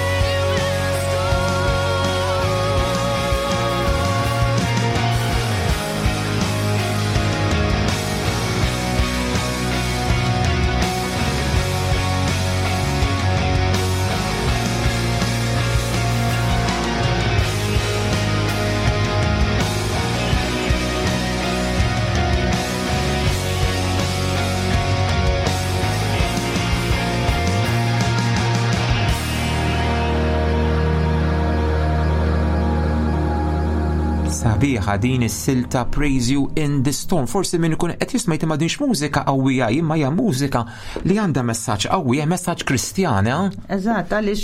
[SPEAKER 2] Sabiħa din is-silta Praise You in the Storm. Forsi min ikun qed jisma' ma dinx mużika qawwija, imma hija mużika li għandha messaġġ qawwi, hija messaġġ Kristjan, eh?
[SPEAKER 3] Eżatt, għaliex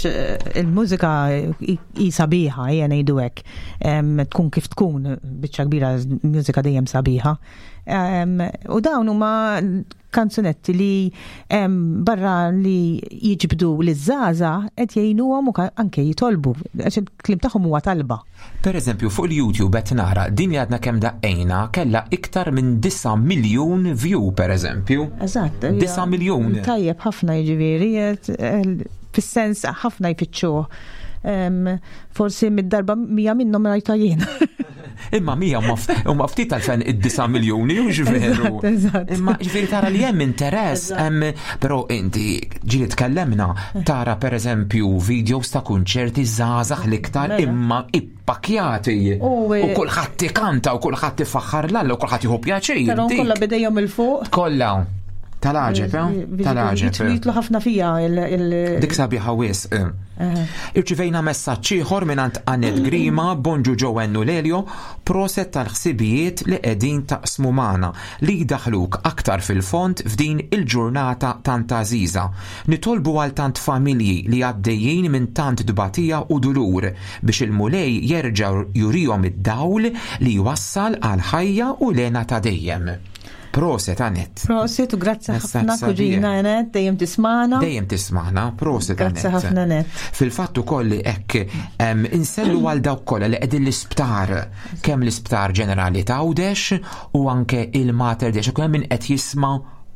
[SPEAKER 3] il-mużika hi sabiħa, hija ngħidu hekk. Tkun kif tkun, biċċa kbira mużika dejjem sabiħa. U dawn huma kanzunetti li barra li jiġbdu liż-żgħażagħ qed jgħinuhom u anke jitolbu, għax il-kliem tagħhom huwa talba.
[SPEAKER 2] Per eżempju, fuq il-YouTube qed nara din li għadna kemm daqqejna kellha iktar minn 9 miljun view per eżempju.
[SPEAKER 3] Eżatt.
[SPEAKER 2] 9 miljun.
[SPEAKER 3] Tajjeb ħafna jiġifieri, fis-sens ħafna jfittxuh. Forsi mid-darba mija minnhom rajta jien.
[SPEAKER 2] Imma mija huma ftit għalfejn id-9 miljuni, u veru. Imma ġifieri tara li hemm interess, hemm però inti ġieli tkellemna tara pereżempju videos ta' kunċerti żgħażagħ l-iktar mela. imma ippakjati. U eh, kulħadd ikanta u kulħadd ifaħħar l u kulħadd jieħu pjaċir.
[SPEAKER 3] Tarahom kollha bidejhom il fuq.
[SPEAKER 2] Kollha. Tal-għaġeb, eh? Tal-għaġeb.
[SPEAKER 3] Jitlu ħafna fija il-
[SPEAKER 2] Dik sabiħa wisq. Eh. Irċivejna messaġġ ieħor mingħand Annette Grima, Bonġu Joanne u Lelio, proset tal-ħsibijiet li qegħdin taqsmu magħna li jdaħħluk aktar fil-fond f'din il-ġurnata tant għażiża. Nitolbu għal tant familji li għaddejjin minn tant tbatija u dulur biex il-Mulej jerġa' jurihom id-dawl li jwassal għall-ħajja u l-hena ta' dejjem. Proset Anett.
[SPEAKER 3] Proset u grazzi ħafna kuġina Anett, dejjem tismana.
[SPEAKER 2] Dejjem tismana, proset
[SPEAKER 3] Anett. Grazzi ħafna Anett.
[SPEAKER 2] Fil-fatt ukoll hekk insellu għal dawk kollha li qegħdin l-isptar, kemm l-isptar ġenerali ta' Għawdex u anke il-Mater Dei, kemm min qed jisma'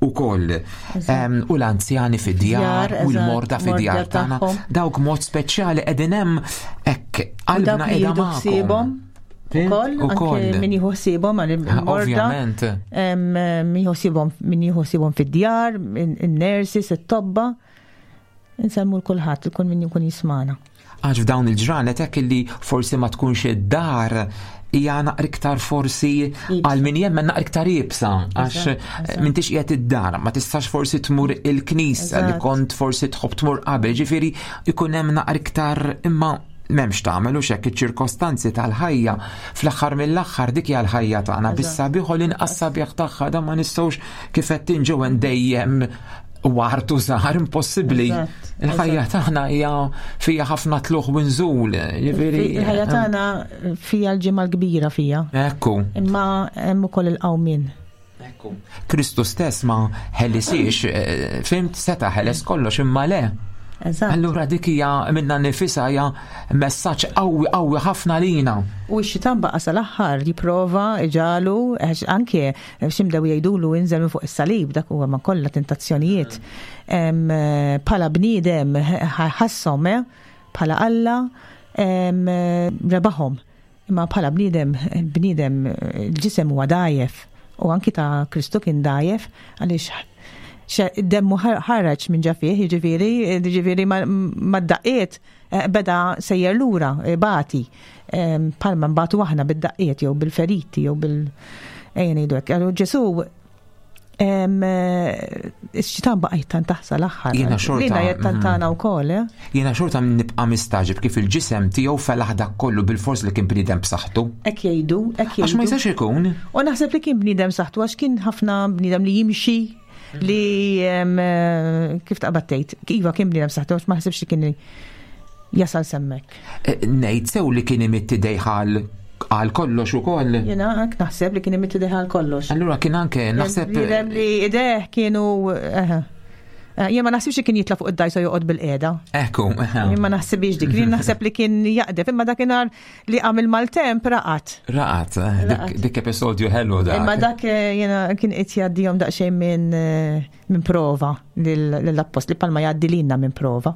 [SPEAKER 2] ukoll. U l-anzjani fid-djar u l-morda fid-djar tagħna, dawk mod speċjali qegħdin hemm hekk qalbna qiegħda magħhom.
[SPEAKER 3] Ukoll, anke min jieħu ħsiebhom għal morda.
[SPEAKER 2] Ovvjament.
[SPEAKER 3] Min jieħu ħsiebhom min jieħu ħsiebhom fid-djar, in-nurses, it-tobba. Insemmu l-kulħadd, il-kull min jkun jismana.
[SPEAKER 2] Għax f'dawn il-ġranet hekk illi forsi ma tkunx id-dar hija naqra iktar forsi għal min jemmen naqra iktar iebsa għax m'intix qiegħed id-dar, ma tistax forsi tmur il-knisja li kont forsi tħobb tmur qabel, ġifieri ikun hemm naqra iktar imma M'hemmx tagħmel hux hekk iċ-ċirkostanzi tal-ħajja fl-aħħar mill-aħħar dik hija l-ħajja tagħna bis-sabiħ u l-inqas sabiħ tagħha dan ma nistgħux kif qed tinġew dejjem wartu żgħar impossibbli. Il-ħajja tagħna hija fija ħafna tluħ u nżul.
[SPEAKER 3] Jiġifieri il-ħajja eh, tagħna fija l-ġimgħa l-kbira fija.
[SPEAKER 2] Ekku.
[SPEAKER 3] Imma hemm ukoll il-qawmien.
[SPEAKER 2] Ekku. Kristu stess ma ħelisiex, eh, fimt seta ħeles kollox imma le.
[SPEAKER 3] Eżatt.
[SPEAKER 2] Allura dik hija minna nifisha hija messaġġ qawwi qawwi ħafna lina.
[SPEAKER 3] U x-xitan baqa' sal-aħħar jipprova iġalu għax anke x'imdew jgħidulu inżel minn fuq is-salib dak huwa ma kollha tentazzjonijiet. Bħala bniedem ħasshom eh, bħala Alla rebaħhom. Imma bħala bniedem, il-bniedem, il-ġisem huwa dgħajjef u anki ta' Kristu kien dgħajjef għaliex demmu ħareġ minn ġa fih, jiġifieri, jiġifieri mad-daqqiet eh, beda sejjer lura, eh, bati, eh, bħalma nbatu aħna bid-daqqiet jew bil-feriti jew bil ejja ngħidu hekk. Ġesu Ix-xitan baqa' jittantah sal-aħħar.
[SPEAKER 2] Jiena xorta.
[SPEAKER 3] Lina jittantana mhm. wkoll, eh?
[SPEAKER 2] Jiena xorta nibqa' mistaġib kif il-ġisem tiegħu felaħ dak kollu bil-fors li kien bniedem b'saħħtu.
[SPEAKER 3] Hekk jgħidu, hekk jgħidu.
[SPEAKER 2] Għax ma jistax ikun.
[SPEAKER 3] U naħseb li kien bniedem saħħtu għax kien ħafna bniedem li jimxi li eh, kif taqbad tgħid. Iva kien bniedem saħħtu għax ma ħsibx li kien jasal semmek.
[SPEAKER 2] Eh, ngħid sew li kien imitti dejħal għal kollox ukoll.
[SPEAKER 3] Jiena hekk naħseb li kien imitti dejħal kollox.
[SPEAKER 2] Allura kien anke naħseb.
[SPEAKER 3] Bniedem li ideh kienu eh, eh, jien ma naħsibx li kien jitla fuq id-dajsa joqgħod bil-qiegħda.
[SPEAKER 2] Ekku.
[SPEAKER 3] Jien ma naħsibx dik, jien naħseb li kien jaqdef, imma dakinhar li għamil maltemp raqat.
[SPEAKER 2] Raqat, dik episodju ħelu dak.
[SPEAKER 3] Imma dak jiena kien qed jgħaddihom daqsxejn minn min prova lill-appostli palma jgħaddi lilna minn prova.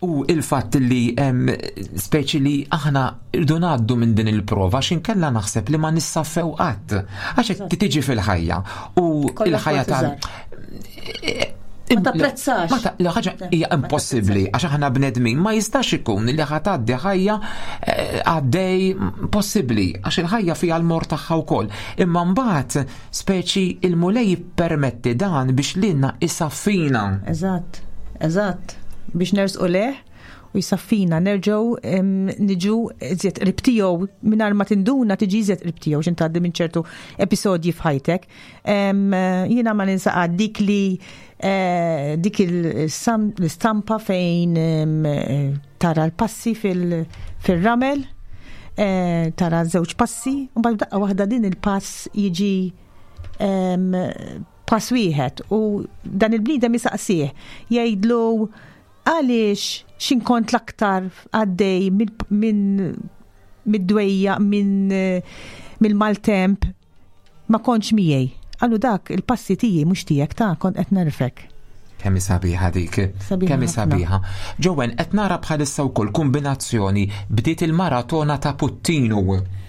[SPEAKER 2] U il-fatt li speċi li aħna irdu ngħaddu minn din il-prova x'inkella naħseb li ma nissaffew qatt. Għax qed tiġi fil-ħajja u il-ħajja ta'
[SPEAKER 3] Ma tapprezzax.
[SPEAKER 2] Ma ta' ħaġa hija impossibbli għax aħna bnedmin ma jistax ikun li ħa tgħaddi ħajja eh, għaddej possibbli għax il-ħajja fiha l-mor tagħha wkoll. Imma mbagħad speċi il-Mulej jippermetti dan biex lilna isaffina.
[SPEAKER 3] Eżatt, eżatt. Biex nersqu leh u jisaffina nerġgħu niġu iżjed qrib tiegħu mingħajr ma tinduna tiġi iżjed qrib tiegħu x'int tgħaddi minn ċertu episodji f'ħajtek. Jiena ma ninsa dik li eh, dik l-istampa fejn eh, tara l-passi fil-ramel, eh, tara żewġ passi, u mbagħad daqqa waħda din il-pass jiġi Pass wieħed u dan il-bniedem jisaqsih jgħidlu għaliex x'inkont l-aktar għaddej minn mid-dwejja minn mill-maltemp ma kontx miegħi. Qallu dak il-passi tiegħi mhux tiegħek ta' kont qed nerfek.
[SPEAKER 2] Kemm hi sabiħa dik. Kemm hi sabiħa. Ġowen qed nara bħalissa wkoll kombinazzjoni bdiet il-maratona ta' Puttinu.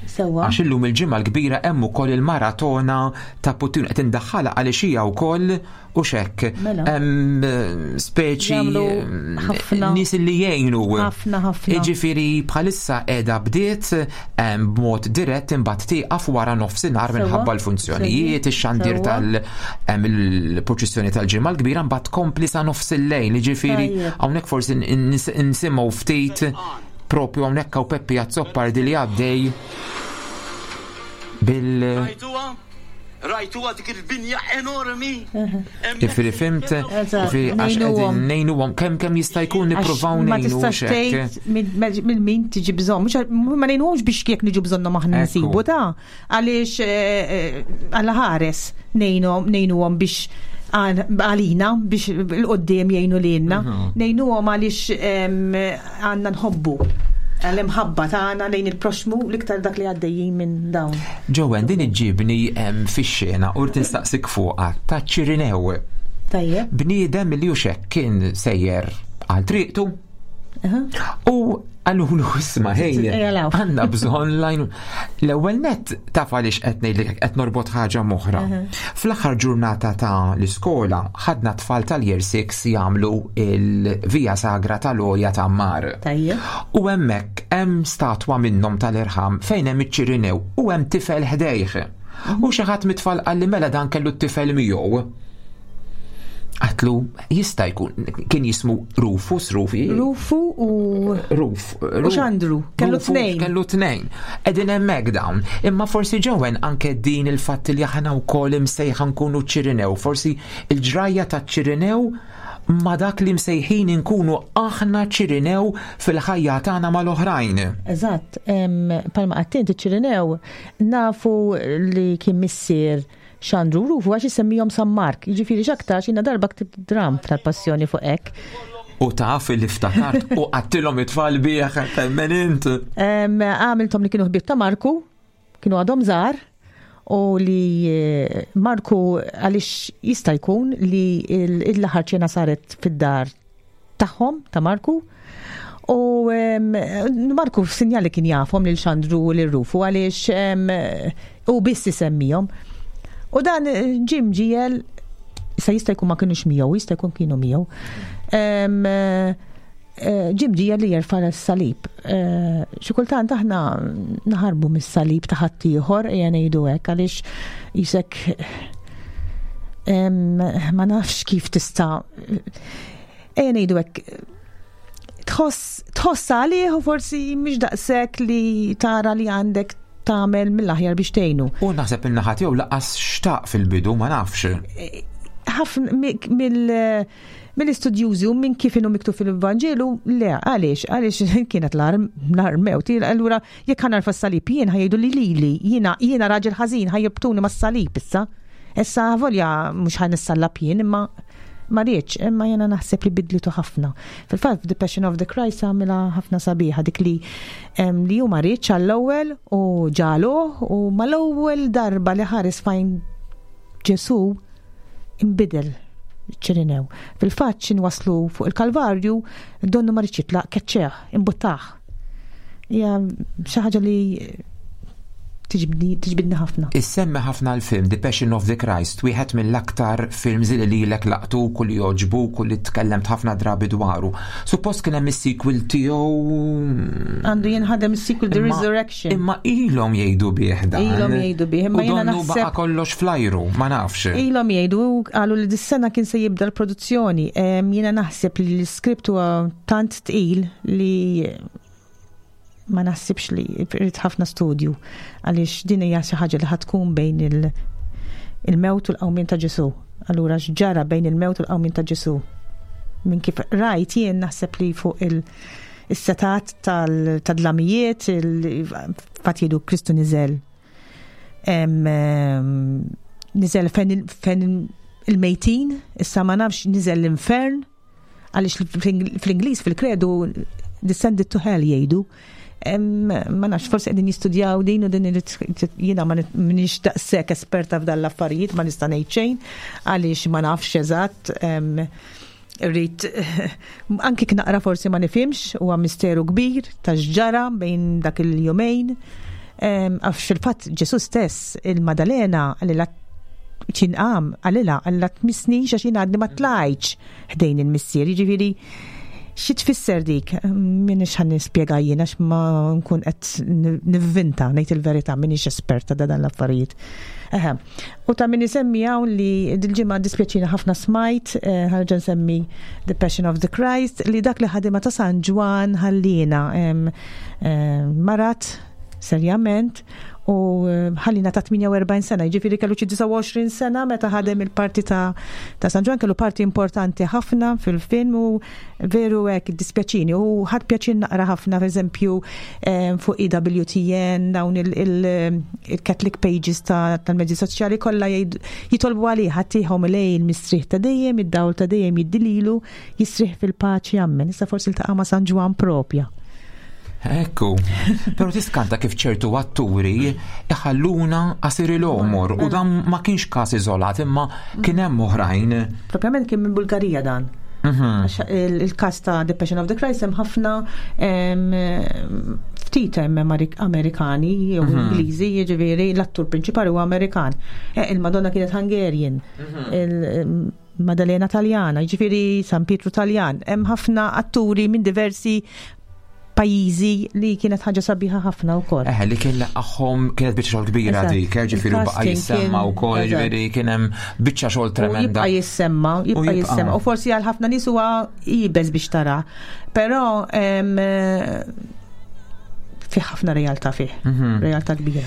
[SPEAKER 3] Sewa.
[SPEAKER 2] Għax illum il-ġimgħa l-kbira hemm ukoll il-maratona ta' Puttinu qed indaħħalha għaliex hija wkoll u xekk.
[SPEAKER 3] Mela.
[SPEAKER 2] Hemm speċi
[SPEAKER 3] Jagħmlu ħafna.
[SPEAKER 2] nies li jgħinu.
[SPEAKER 3] Ħafna, ħafna.
[SPEAKER 2] Jiġifieri bħalissa qiegħda bdiet b'mod dirett imbagħad tieqaf wara nofsinhar
[SPEAKER 3] Sewwa.
[SPEAKER 2] minħabba l-funzjonijiet, ix-xandir
[SPEAKER 3] Sewwa.
[SPEAKER 2] tal-purċissjoni tal-ġimgħa l-kbira mbagħad tkompli sa nofs il-lejl, jiġifieri
[SPEAKER 3] Tajjeb.
[SPEAKER 2] hawnhekk forsi nsimgħu ftit propju hawnhekk hawn Peppi Azzopardi li għaddej bil
[SPEAKER 6] Rajtuha? Rajtuha dik il-binja enormi?
[SPEAKER 2] Jiġifieri fimt,
[SPEAKER 3] Eżatt,
[SPEAKER 2] jiġifieri għax qegħdin
[SPEAKER 3] ngħinuhom.
[SPEAKER 2] ngħinuhom kemm kemm jista' jkun nippruvaw
[SPEAKER 3] Għax ma
[SPEAKER 2] ngħinu
[SPEAKER 3] tistax
[SPEAKER 2] x'hekk.
[SPEAKER 3] tgħid minn min tiġi bżonn, mhux ma ngħinuhomx biex jekk niġu bżonnhom aħna
[SPEAKER 2] Ekku.
[SPEAKER 3] nsibu ta' għaliex Alla ħares ngħinuhom ngħinuhom biex għalina biex l-qoddim jgħinu lilna. Ngħinuhom għaliex għandna nħobbu għall-imħabba tagħna lejn il-proxmu l-iktar dak li għaddejjin minn dawn.
[SPEAKER 2] Ġowen, din iġġibni fix-xena u rrid nistaqsik fuqha ta' Ċirinew.
[SPEAKER 3] Tajjeb.
[SPEAKER 2] Bniedem li hux kien sejjer għal triqtu u għallulu isma' ħej,
[SPEAKER 3] Ejja law.
[SPEAKER 2] għandna bżonn lajn. L-ewwel nett taf għaliex qed ngħidlek qed norbot ħaġa m'oħra. Fl-aħħar ġurnata ta' l-iskola ħadna tfal tal-year 6 jagħmlu il-Via Sagra tal-Olja ta' Mar.
[SPEAKER 3] Tajjeb.
[SPEAKER 2] U hemmhekk hemm statwa minnhom tal-irħam fejn hemm iċ-Ċirinew u hemm tifel ħdejh. U xi ħadd mit-tfal qalli mela dan kellu t-tifel miegħu. Għatlu jista' jkun kien jismu Rufus, Rufi.
[SPEAKER 3] Rufu u
[SPEAKER 2] Ruf.
[SPEAKER 3] U Xandru, kellu
[SPEAKER 2] Rufus,
[SPEAKER 3] tnejn.
[SPEAKER 2] Kellu tnejn. Qegħdin hemmhekk dawn. Imma forsi ġewen anke din il-fatt li aħna wkoll imsejħa nkunu Ċirinew. Forsi il-ġrajja ta' Ċirinew ma dak li msejħin inkunu aħna Ċirinew fil-ħajja tagħna mal-oħrajn.
[SPEAKER 3] Eżatt, palma għattint iċ-Ċirinew nafu li kien missier Xandru Rufu għax isemmihom San Mark, jiġifieri x'aktarx jiena darba ktibt dram tal-passjoni fuq hekk.
[SPEAKER 2] U taf li ftakart u qattilhom it-tfal bih temmen int.
[SPEAKER 3] Għamilthom li kienu ħbieb ta' Marku, kienu għadhom żgħar, u li Marku għaliex jista' jkun li l-aħħar ċena saret fid-dar tagħhom ta' Marku. U Marku f'sinjali kien jafhom lil Xandru u lil Rufu għaliex u biss isemmihom. U dan Jim ġiel issa jista' jkun ma kienux miegħu, jista' jkun kienu miegħu. Jim ġiel li jerfa' s-salib. Xi kultant aħna naħarbu mis-salib ta' ħaddieħor, ejja ngħidu hekk, għaliex jisek ma nafx kif tista' ejja ngħidu hekk tħoss għalih u forsi mhix daqshekk li tara li għandek tagħmel mill-aħjar biex tgħinu.
[SPEAKER 2] U naħseb in-naħa tiegħu laqas xtaq fil-bidu, ma nafx.
[SPEAKER 3] Ħafna mill-istudjużi u minn kif inhu miktub fil-Vanġelu, le, għaliex, għaliex kienet l-armew. Allura jekk ħa narfa s-salib jien ħajdu li lili, jiena raġel ħażin ħajibtuni mas-salib issa. Issa volja mhux ħa nissallab jien, imma ma rridx, imma jiena naħseb li bidlitu ħafna. Fil-fatt The Passion of the Christ għamilha ħafna sabiħa dik li hu ma rridx għall-ewwel u ġaluh u mal-ewwel darba li ħares fejn Ġesu imbidel Ċirinew. Fil-fatt xin waslu fuq il-Kalvarju, donnu ma rridx jitlaq, keċċeħ, imbuttaħ. Hija xi ħaġa li tiġbidni ħafna.
[SPEAKER 2] Issemmi ħafna l-film The Passion of the Christ, wieħed mill-aktar films li lilek laqtu, kull joġbu, kull li tkellemt ħafna drabi dwaru. Suppost kien hemm is-sequel tiegħu.
[SPEAKER 3] Għandu jinħadem is-sequel The Resurrection.
[SPEAKER 2] Imma ilhom jgħidu bih dan.
[SPEAKER 3] Ilhom jgħidu bih, imma
[SPEAKER 2] U
[SPEAKER 3] jiena
[SPEAKER 2] donnu
[SPEAKER 3] naħseb
[SPEAKER 2] baqa' kollox flajru, ma nafx.
[SPEAKER 3] Ilhom jgħidu, qalu li dis-sena kien se jibda l-produzzjoni. Jiena naħseb li l-iskript huwa tant tqil li ma naħsibx li irid ħafna studju għaliex din hija xi ħaġa li ħad tkun bejn il-mewt u l-qawmien ta' Ġesu. Allura x'ġara bejn il-mewt u l-qawmien ta' Ġesu? Minn kif rajt jien naħseb li fuq is-setat tad-dlamijiet, fatt jgħidu Kristu niżel. Niżel fejn il-mejtin, issa ma nafx niżel l-infern, għaliex fl-Ingliż fil-kredu descended to hell jgħidu. Ma nafx, forsi qegħdin jistudjaw din u din jiena ma minix daqshekk esperta f'dan l-affarijiet, ma nista' ngħid xejn għaliex ma nafx eżatt. Rrid anki naqra forsi ma nifhimx, huwa misteru kbir ta' x'ġara bejn dak il-jumejn. Għax fil-fatt Ġesu stess il-Madalena għalila ċinqam għalila għalla tmissnix għax jien għadni ma tlajtx ħdejn il-missier. Jiġifieri xi tfisser dik? Minix ħan nispjega jien għax ma nkun qed nivvinta ngħid il-verità, minix esperta da dan l-affarijiet. Eħe. U ta' min isemmi hawn li dil-ġimgħa dispjaċina ħafna smajt, ħarġa nsemmi The Passion of the Christ, li dak li ħadima ta' San Ġwann ħallina marat serjament u ħallina ta' 48 sena, jiġifieri kellu xi 29 sena meta ħadem il-parti ta' San Ġwann, kellu parti importanti ħafna fil-film u veru hekk dispjaċini u ħadd pjaċir naqra ħafna, pereżempju, fuq EWTN, dawn il-Catholic pages tal-mezzi soċjali kollha jitolbu għalih, ħadd lej il-mistrieħ ta' dejjem, id-dawl ta' dejjem jiddililu, jistrieħ fil-paċi, ammen. Issa forsi ltaqa' ma' San Ġwann propja.
[SPEAKER 2] Ekku, pero tiskanta kif ċertu atturi iħalluna qasir il-omor u dan ma kienx każ iżolat imma kien hemm oħrajn.
[SPEAKER 3] Propjament kien minn Bulgarija dan. Għax il-każ ta' The Passion of the Christ hemm ħafna ftit hemm Amerikani jew Ingliżi, jiġifieri l-attur prinċipali huwa Amerikan. Il-Madonna kienet Hungarian. Il-Maddalena Taljana, jiġifieri San Pietru Taljan. Hemm ħafna atturi minn diversi pajjiżi li kienet ħaġa sabiħa ħafna wkoll.
[SPEAKER 2] Eħe, li kien laqgħhom kienet biċċa xogħol kbira dik, ġifieri baqa'
[SPEAKER 3] Il-casting
[SPEAKER 2] jissemma
[SPEAKER 3] kien
[SPEAKER 2] wkoll, ġifieri kien hemm biċċa xogħol
[SPEAKER 3] U
[SPEAKER 2] tremenda.
[SPEAKER 3] jibqa' jissemma,
[SPEAKER 2] U
[SPEAKER 3] jibqa'
[SPEAKER 2] jibqa'.
[SPEAKER 3] jissemma. U forsi għal ħafna nies huwa iebes biex tara. Però fih ħafna realtà fih, realtà kbira.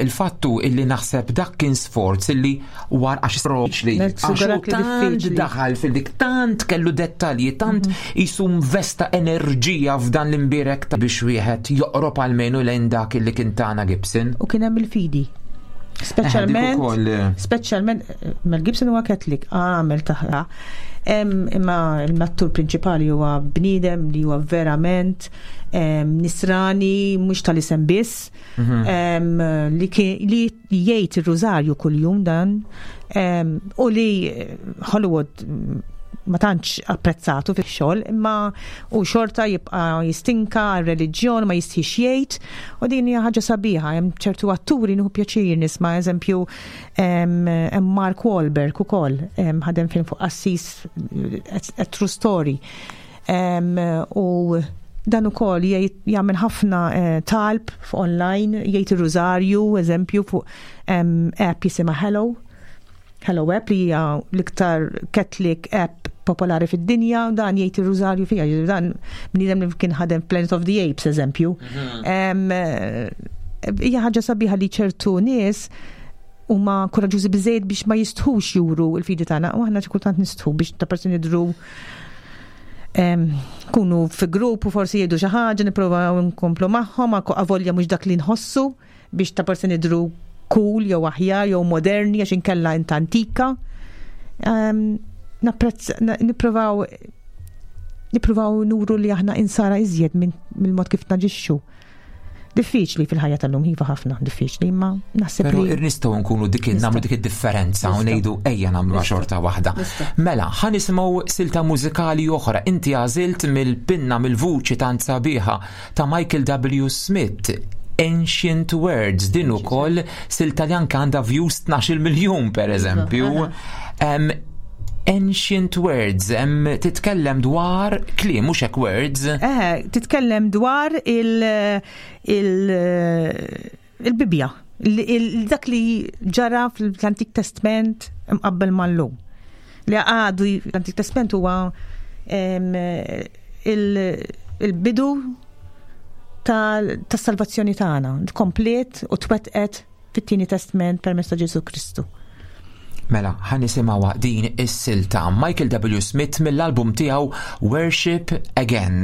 [SPEAKER 2] Il-fattu illi naħseb dak kien sforz illi war għax diffiċli.
[SPEAKER 3] Nagħti
[SPEAKER 2] Għax hu
[SPEAKER 3] li
[SPEAKER 2] tant
[SPEAKER 3] diffiċli.
[SPEAKER 2] daħal fil-dik, tant kellu dettalji, tant jisu investa enerġija f'dan l-imbirek ta' biex wieħed joqrob almenu lejn dak illi kien tana Gibson.
[SPEAKER 3] U kien hemm il-fidi. Speċjalment,
[SPEAKER 2] Dik ukoll.
[SPEAKER 3] speċjalment, Mel Gibson huwa Catholic, għamel taħra. Imma l-attur prinċipali huwa bniedem li huwa verament nisrani, mhux tal-isem biss, li jgħid ir-rużarju kuljum dan, u li Hollywood ma tantx apprezzatu fix-xogħol, imma u xorta jibqa' jistinka għar-reliġjon, ma jistħix jgħid, u din hija ħaġa sabiħa. Hemm ċertu atturi nieħu pjaċir nisma', eżempju, hemm Mark Wahlberg ukoll, ħadem film fuq Assis, a True Story. U dan ukoll jagħmel ħafna talb fuq online, jgħid ir-rużarju, eżempju, fuq app jisimha Hallow. Hallow app li hija l-iktar Catholic app popolari fid-dinja, u dan jgħid ir-rużarju fiha, jiġifieri dan bniedem li kien ħadem Planet of the Apes, eżempju. Hija ħaġa sabiħa li ċertu nies huma koraġġużi biżejjed biex ma jistħux juru l-fidi tagħna, u aħna xi kultant nistħu biex ta' persuni jidhru kunu fi grupp u forsi jgħidu xi ħaġa, nipprovaw nkomplu magħhom, avolja mhux dak li nħossu biex ta' persuni jidhru cool jew aħjar jew moderni għax inkella int antika. Nippruvaw nuru li aħna insara iżjed mill-mod kif naġixxu. Diffiċli fil-ħajja tal-lum, iva ħafna diffiċli, imma naħseb
[SPEAKER 2] Però
[SPEAKER 3] li
[SPEAKER 2] nistgħu nkunu dik
[SPEAKER 3] Nistgħu.
[SPEAKER 2] nagħmlu dik id-differenza u
[SPEAKER 3] Nistgħu.
[SPEAKER 2] ngħidu ejja nagħmluha xorta waħda.
[SPEAKER 3] Nistgħu.
[SPEAKER 2] Mela, ħa nisimgħu silta mużikali oħra. Inti għażilt mill-pinna mill-vuċi tant sabiħa ta' Michael W. Smith, Ancient Words, din ukoll silta li anke għandha views 12 miljun per eżempju. Ancient Words, titkellem dwar kliem, mhux hekk words.
[SPEAKER 3] Titkellem dwar il-Bibbja, dak li ġara fl-Antik Testament mqabbel mal-lum. Li għadu l-Antik Testament huwa il-bidu tas-salvazzjoni tagħna, komplet u twettqet fit-Tieni Testament permezz ta' Ġesu Kristu.
[SPEAKER 2] Mela, ħa nisimgħu din is-silta Michael W. Smith mill-album tiegħu Worship Again.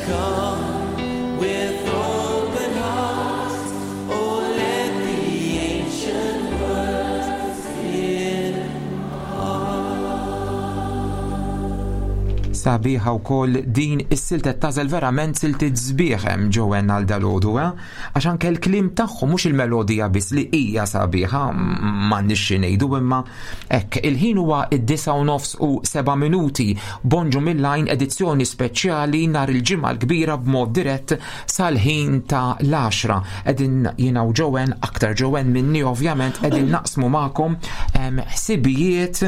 [SPEAKER 5] come with open hearts. Oh, let the ancient words
[SPEAKER 2] Sabiħa wkoll din is-silta tażel verament siltiet sbieħ hemm Joanne għal dalgħodu, eh? Għax anke l-kliem tagħhom mhux il-melodija biss li hija sabiħa m'għandniex xi ngħidu imma hekk il-ħin huwa d-9:07 Bonġu mill-Għajn edizzjoni speċjali nhar il-Ġimgħa l-Kbira b'mod dirett sal-ħin ta' l-għaxra. Qegħdin jiena u Joanne, aktar Joanne minni ovvjament, qegħdin naqsmu magħkom ħsibijiet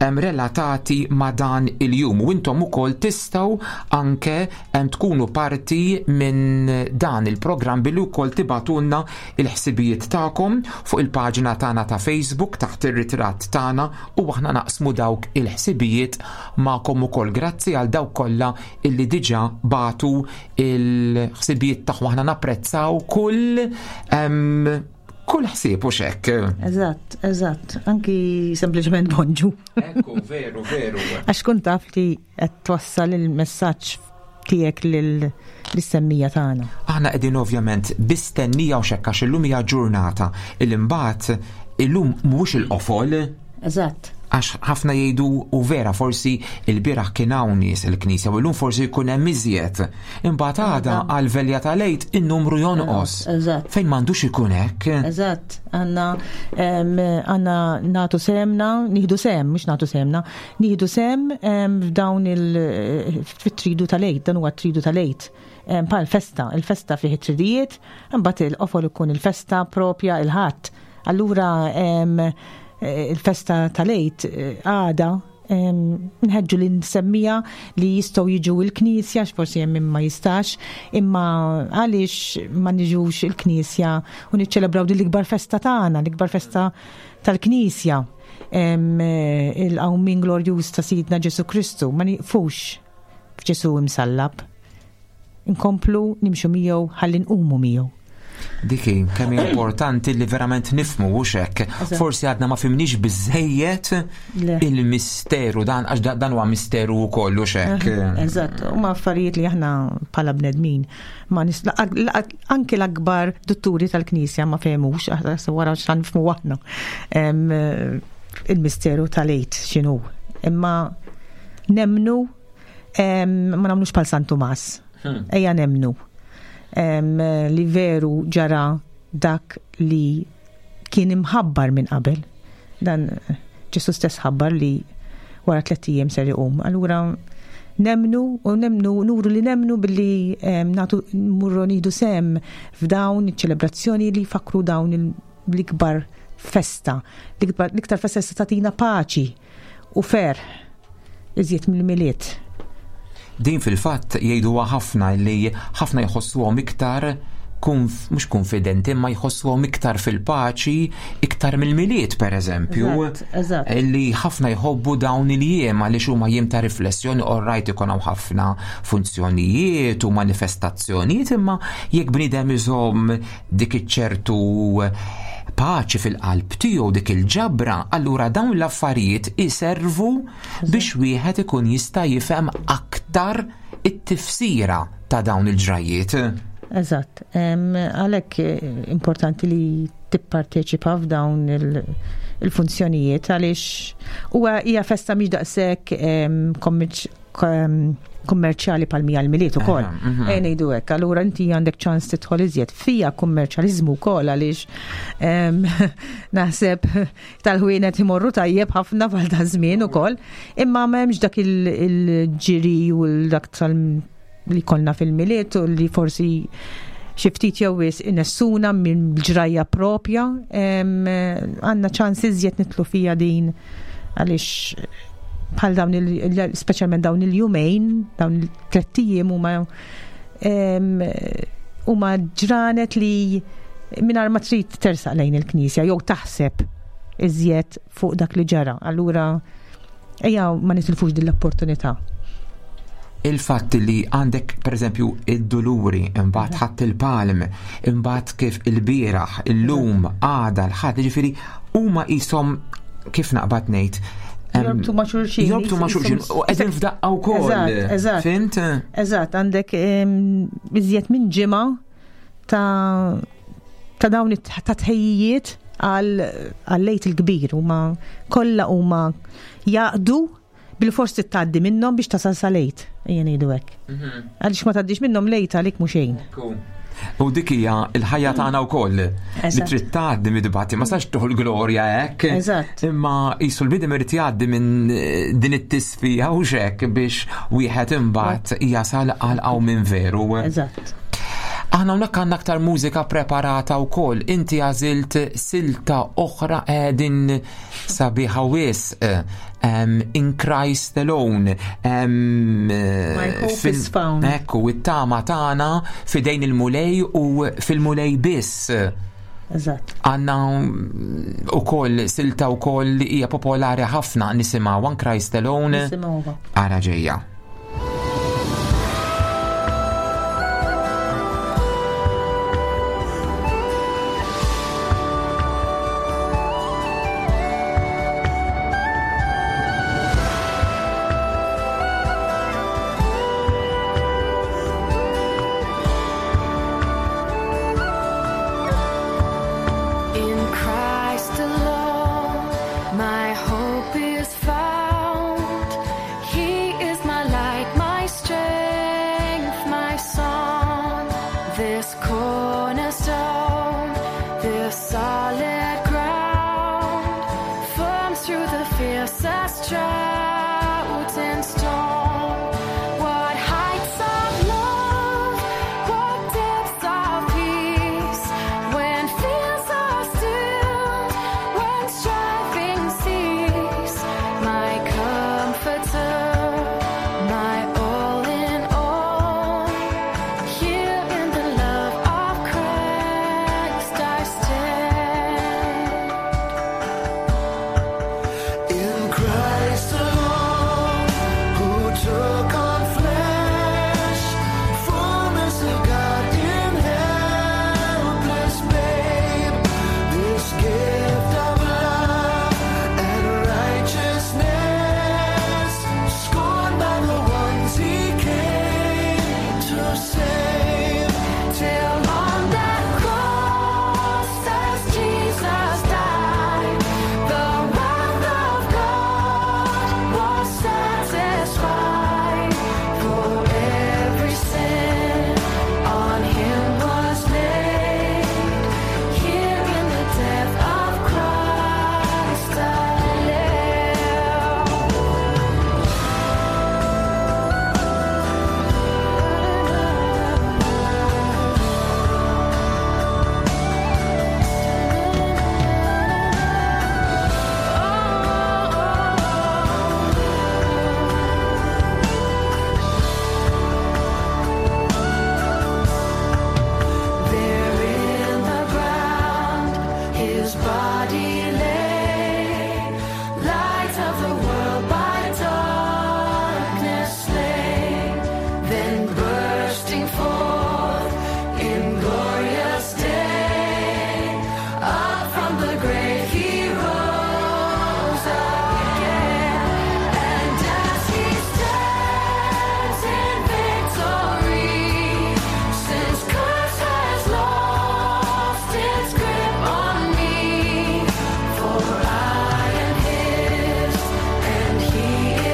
[SPEAKER 2] relatati ma' dan il-jum u intom ukoll tistgħu anke tkunu parti minn dan il-programm billi wkoll tibgħatulna il-ħsibijiet tagħkom fuq il-paġna tagħna ta' Facebook taħt ir-ritratt tagħna u aħna naqsmu dawk il-ħsibijiet magħkom ukoll. Grazzi għal dawk kollha illi diġà bagħtu il-ħsibijiet tagħhom aħna napprezzaw kull kull ħsieb u xekk.
[SPEAKER 3] Eżatt, eżatt, anki sempliċement bonġu.
[SPEAKER 2] Ekku, veru, veru.
[SPEAKER 3] Għax kun taf li qed twassal il-messaġġ tiegħek lill-semmija tagħna.
[SPEAKER 2] Aħna qegħdin ovvjament bistennija u xekk għax illum hija ġurnata il imbagħad illum mhux il-qofol.
[SPEAKER 3] Eżatt.
[SPEAKER 2] Għax ħafna jgħidu u vera forsi il-bieraħ kien hawn nies il-knisja u llum forsi jkun hemm iżjed. Imbagħad għada għal velja tal-Għid in-numru jonqos.
[SPEAKER 3] Eżatt.
[SPEAKER 2] Fejn m'għandux ikun hekk.
[SPEAKER 3] Eżatt. Għandna għandna nagħtu sehemna, nieħdu sehem, mhux nagħtu sehemna, nieħdu sehem f'dawn il fit-tridu tal-Għid, dan huwa t-tridu tal-Għid. Bħal festa, il-festa fih it-tridijiet, imbagħad il-qofol ikun il-festa propja il-Ħadd. Allura il-festa tal-Għid għada nħeġġu li nsemmija li jistgħu jiġu il-knisja, forsi hemm min ma jistax, imma għaliex ma niġux il-knisja u niċċelebraw din l-ikbar festa tagħna, l-ikbar festa tal-knisja, il-qawmien glorjuż ta' Sidna Ġesu Kristu, ma nieqfux f'Ġesu imsallab. Inkomplu nimxu miegħu ħalli nqumu miegħu.
[SPEAKER 2] Diki, kemm importanti li verament nifmu u xek. Forsi għadna ma fimniex biżejjed il-misteru dan, għax dan huwa misteru wkoll u xek.
[SPEAKER 3] Eżatt, huma affarijiet li aħna bħala bnedmin ma anke l-akbar dutturi tal-Knisja ma fehmux, wara x'għan nifhmu aħna il-misteru tal-Għid x'inhu. Imma nemnu ma nagħmlux bħal San Tumas. Ejja nemnu li veru ġara dak li kien imħabbar minn qabel. Dan Ġesu stess ħabbar li wara 3 ijiem ser iqum. Allura nemnu u nemnu, nuru li nemnu billi nagħtu mmurru nieħdu sehem f'dawn iċ-ċelebrazzjoni li jfakru dawn l-ikbar festa, l-iktar festa se tagħtina paċi u ferħ iżjed mill-Milied.
[SPEAKER 2] Din fil-fatt jgħiduha ħafna li ħafna jħossuhom iktar mhux konfidenti, imma jħossuhom iktar fil-paċi iktar mill-Milied pereżempju.
[SPEAKER 3] Eżatt, eżatt.
[SPEAKER 2] Li ħafna jħobbu dawn il-jiem għaliex huma jiem ta' riflessjoni, all right ikun hawn ħafna funzjonijiet u manifestazzjonijiet, imma jekk bniedem iżomm dik iċ-ċertu paċi fil-qalb tiegħu, dik il-ġabra, allura dawn l-affarijiet iservu biex wieħed ikun jista' jifhem aktar it-tifsira ta' dawn il-ġrajiet.
[SPEAKER 3] Eżatt. Għalhekk importanti li tipparteċipa f'dawn il-funzjonijiet għaliex huwa hija festa mhix daqshekk kummerċjali pal mija l-Milied ukoll. Ejja ngħidu hekk, allura inti għandek ċans tidħol iżjed fija kummerċjaliżmu wkoll għaliex naħseb tal-ħwienet imorru tajjeb ħafna bħal ta' żmien ukoll, imma m'hemmx dak il-ġiri u dak tal li konna fil-Milied u li forsi xi ftit jew wisq inessuna minn ġrajja propja, għandna ċans iżjed nitlu fija din għaliex bħal dawn speċjalment dawn il-jumejn, dawn il-tlett ijiem huma ġranet li mingħajr ma trid tersaq lejn il-knisja jew taħseb iżjed fuq dak li ġara. Allura ejja ma nitilfux din l-opportunità.
[SPEAKER 2] Il-fatt li għandek per eżempju id-duluri, imbagħad ħadd il-palm, imbagħad kif il-bieraħ, illum, għada, l-ħadd, jiġifieri huma qishom kif naqbad ngħid,
[SPEAKER 3] Jorbtu ma' xulxin.
[SPEAKER 2] Jorbtu ma' xulxin. U qegħdin f'daqqa wkoll.
[SPEAKER 3] Eżatt, eżatt.
[SPEAKER 2] Fhimt?
[SPEAKER 3] Eżatt, għandek iżjed minn ġimgħa ta' ta' dawn ta' tħejjijiet għal-Għid il-Kbir huma kollha huma jaqdu bil-fors tgħaddi minnhom biex tasal sal-Għid, ejja ngħidu hekk. Għaliex ma tgħaddix minnhom l-Għid għalik mhu xejn.
[SPEAKER 2] U dik hija l-ħajja tagħna wkoll li trid tgħaddi mid-dbati, ma sax tuħu l-glorja hekk.
[SPEAKER 3] Eżatt.
[SPEAKER 2] Imma qisu l-bniedem irid jgħaddi minn din it-tisfija u x'hekk biex wieħed imbagħad jasal għal hawn minn veru.
[SPEAKER 3] Eżatt.
[SPEAKER 2] Aħna hawnhekk għandna aktar mużika preparata wkoll. Inti għażilt silta oħra din sabiħa wisq. In Christ Alone.
[SPEAKER 3] My hope is found.
[SPEAKER 2] Ekku, it-tama tagħna fidejn il-Mulej u fil-Mulej biss.
[SPEAKER 3] Eżatt.
[SPEAKER 2] Għandna ukoll silta wkoll li hija popolari ħafna nisimgħu In Christ Alone.
[SPEAKER 3] Nisimgħuha.
[SPEAKER 2] Ara ġejja.
[SPEAKER 4] In Christ alone, my hope is found. He is my light, my strength, my song. This cornerstone, this solid ground, firm through the fiercest drought and storm. What heights of love, what depths of peace, when fears are stilled, when striving cease, my comforter, my all in all, here in the love of Christ I stand.
[SPEAKER 5] In Christ alone, who took on flesh, fullness of God in helpless babe, this gift of love and righteousness, scorned by the ones he came to save.
[SPEAKER 4] Till on that cross as Jesus died, the wrath of God was satisfied. For every sin on him was laid. Here in the death of Christ I live. There in the ground his body lay, light of the world by darkness slain. Then bursting forth in glorious day, up from the grave he rose again. And as he stands in victory, since curse has lost its grip on me, for I am his and he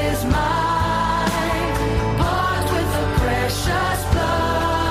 [SPEAKER 4] is mine, bought with the precious blood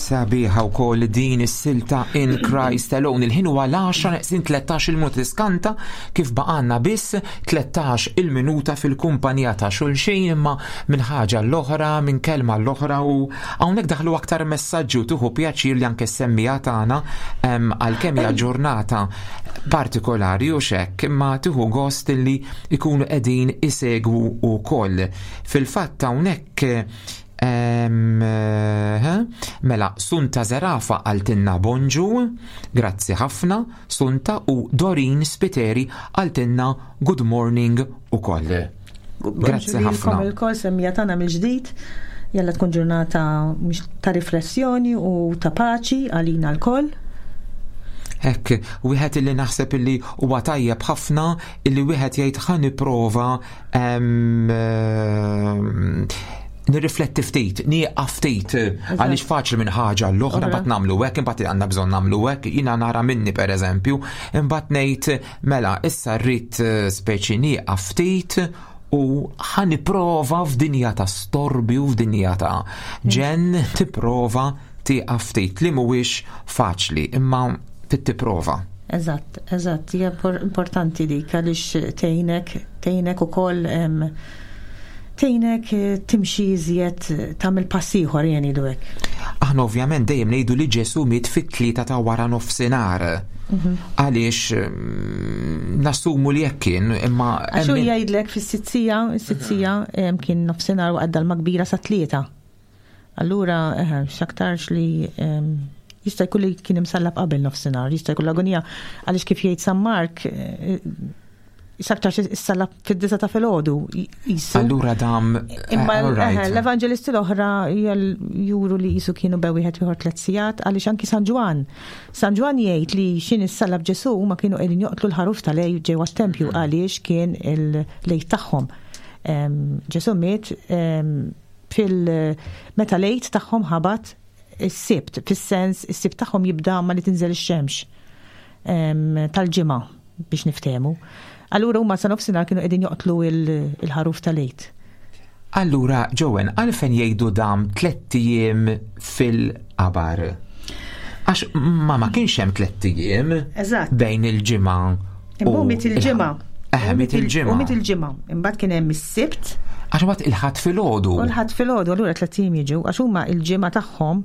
[SPEAKER 2] Sabiħa wkoll din is-silta In Christ Alone. Il-ħin huwa l-10 neqsin 13 il-minuta tiskanta kif baqgħalna biss 13 il-minuta fil-kumpanija ta' xulxin imma minn ħaġa l-oħra, minn kelma l-oħra u hawnhekk daħlu aktar messaġġi u tieħu pjaċir li anke semmija tagħna għalkemm hija ġurnata partikolari u xekk imma tieħu gost li jkunu qegħdin isegwu wkoll. Fil-fatt hawnhekk Mela, Sunta Zerafa għaltinna bonġu, grazzi ħafna, Sunta u Dorin Spiteri għaltinna good morning u koll. Grazzi ħafna.
[SPEAKER 3] Il-kol semmija tagħna mill-ġdid, jalla tkun ġurnata ta' riflessjoni u ta' paċi għalina l-koll.
[SPEAKER 2] Hekk, wieħed illi naħseb illi huwa tajjeb ħafna illi wieħed jgħid ħa nipprova nirrifletti ftit, nieqaf ftit, għaliex faċli minn ħaġa l-oħra mbagħad nagħmlu hekk, imbagħad għandna bżonn nagħmlu hekk, jiena nara minni pereżempju, imbagħad ngħid mela issa rrid speċi nieqaf ftit u ħa nipprova f'dinja ta' storbju, f'dinja ta' ġenn, tipprova tieqaf ftit li mhuwiex faċli, imma trid tipprova.
[SPEAKER 3] Eżatt, eżatt, hija importanti dik għaliex tgħinek, tgħinek ukoll tgħinek timxi iżjed tagħmel pass ieħor jien ngħidu hekk.
[SPEAKER 2] Aħna ovvjament dejjem ngħidu li Ġesù miet fit-3 ta' wara nofsinhar. Għaliex nassumu li hekk kien, imma
[SPEAKER 3] Għax hu jgħidlek fis-sitzija, is-sitzija kien nofsinhar waqt dalma kbira sa 3. Allura, x'aktarx li jista' jkun li kien imsallab qabel nofsinhar, jista' jkun l-agonija għaliex kif jgħid San Mark, x'aktarx issallab fid-9 ta' filgħodu qisu.
[SPEAKER 2] Allura dam,
[SPEAKER 3] Imma
[SPEAKER 2] all right.
[SPEAKER 3] l-evanġelisti l-oħra juru li qisu kienu bew wieħed ieħor 3 sigħat, għaliex anki San Ġwann. San Ġwann jgħid li x'in issallab Ġesù huma kienu qegħdin joqtlu l-ħaruf tal-għid ġewwa t-tempju għaliex kien il-lejl tagħhom. Ġesù miet fil meta lejt tagħhom ħabat is-Sibt, fis-sens is-Sibt tagħhom jibda ma li tinżel ix-xemx tal-ġimgħa biex niftehmu. Allura huma sa nofsinhar kienu qegħdin joqtlu il-ħaruf tal-għid.
[SPEAKER 2] Allura, Joanne, għalfejn jgħidu dam 3 ijiem fil-qabar? Għax ma kienx hemm 3 ijiem bejn il-ġimgħa u
[SPEAKER 3] Imma miet il-ġimgħa.
[SPEAKER 2] Miet il-ġimgħa.
[SPEAKER 3] U miet il-ġimgħa. Imbagħad kien hemm is-Sibt.
[SPEAKER 2] Għax mbagħad il-Ħadd filgħodu.
[SPEAKER 3] U l-Ħadd filgħodu, allura 3 ijiem jiġu, għax huma il-ġimgħa tagħhom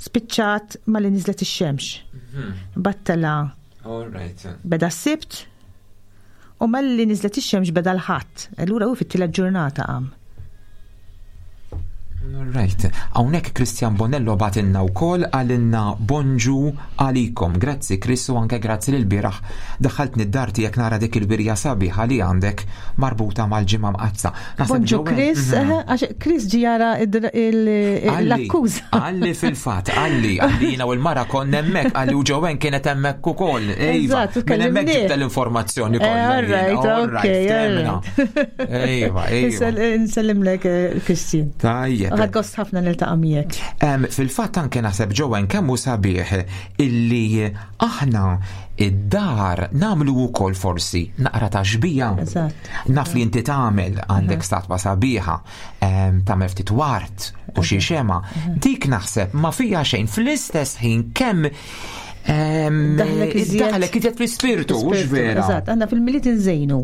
[SPEAKER 3] spiċċat ma li niżlet ix-xemx. Imbagħad tela'
[SPEAKER 2] All right.
[SPEAKER 3] Beda s-Sibt u malli niżlet ix-xemx beda l-Ħadd. Allura hu fit-tielet ġurnata qam.
[SPEAKER 2] Right. Hawnhekk Christian Bonello batinna wkoll għalinna bonġu għalikom. Grazzi Chris u anke grazzi lil bieraħ daħħaltni d-dar tiegħek nara dik il-wirja sabiħa li għandek marbuta mal-ġimgħa mqaddsa. Naħseb
[SPEAKER 3] Bonġu
[SPEAKER 2] Joanne,
[SPEAKER 3] Chris, għax Chris ġi jara l-akkuża.
[SPEAKER 2] Għalli fil-fatt, għalli jiena u l-mara konna hemmhekk, għalli u Joanne kienet hemmhekk ukoll. Iva,
[SPEAKER 3] Eżatt,
[SPEAKER 2] minn hemmhekk
[SPEAKER 3] kellimni.
[SPEAKER 2] ġibta l-informazzjoni kollha
[SPEAKER 3] All
[SPEAKER 2] jiena.
[SPEAKER 3] right,
[SPEAKER 2] All right,
[SPEAKER 3] okay, all
[SPEAKER 2] ftemna.
[SPEAKER 3] right.
[SPEAKER 2] Iva, iva.
[SPEAKER 3] Nsellimlek, Christian.
[SPEAKER 2] Tajjeb.
[SPEAKER 3] Ħadd gost ħafna niltaqa' miegħek.
[SPEAKER 2] Fil-fatt anke naħseb Joanne kemm hu sabiħ illi aħna id-dar nagħmlu wkoll forsi naqra ta' xbija. Naf li inti tagħmel għandek statwa sabiħa, tagħmel ftit wart u xi xema. Dik naħseb ma fija xejn fl-istess ħin kemm
[SPEAKER 3] Daħlek iżjed.
[SPEAKER 2] Daħlek iżjed fl-ispirtu, hux
[SPEAKER 3] Fl-ispirtu,
[SPEAKER 2] vera?
[SPEAKER 3] Eżatt, għandna fil-Milied inżejnu.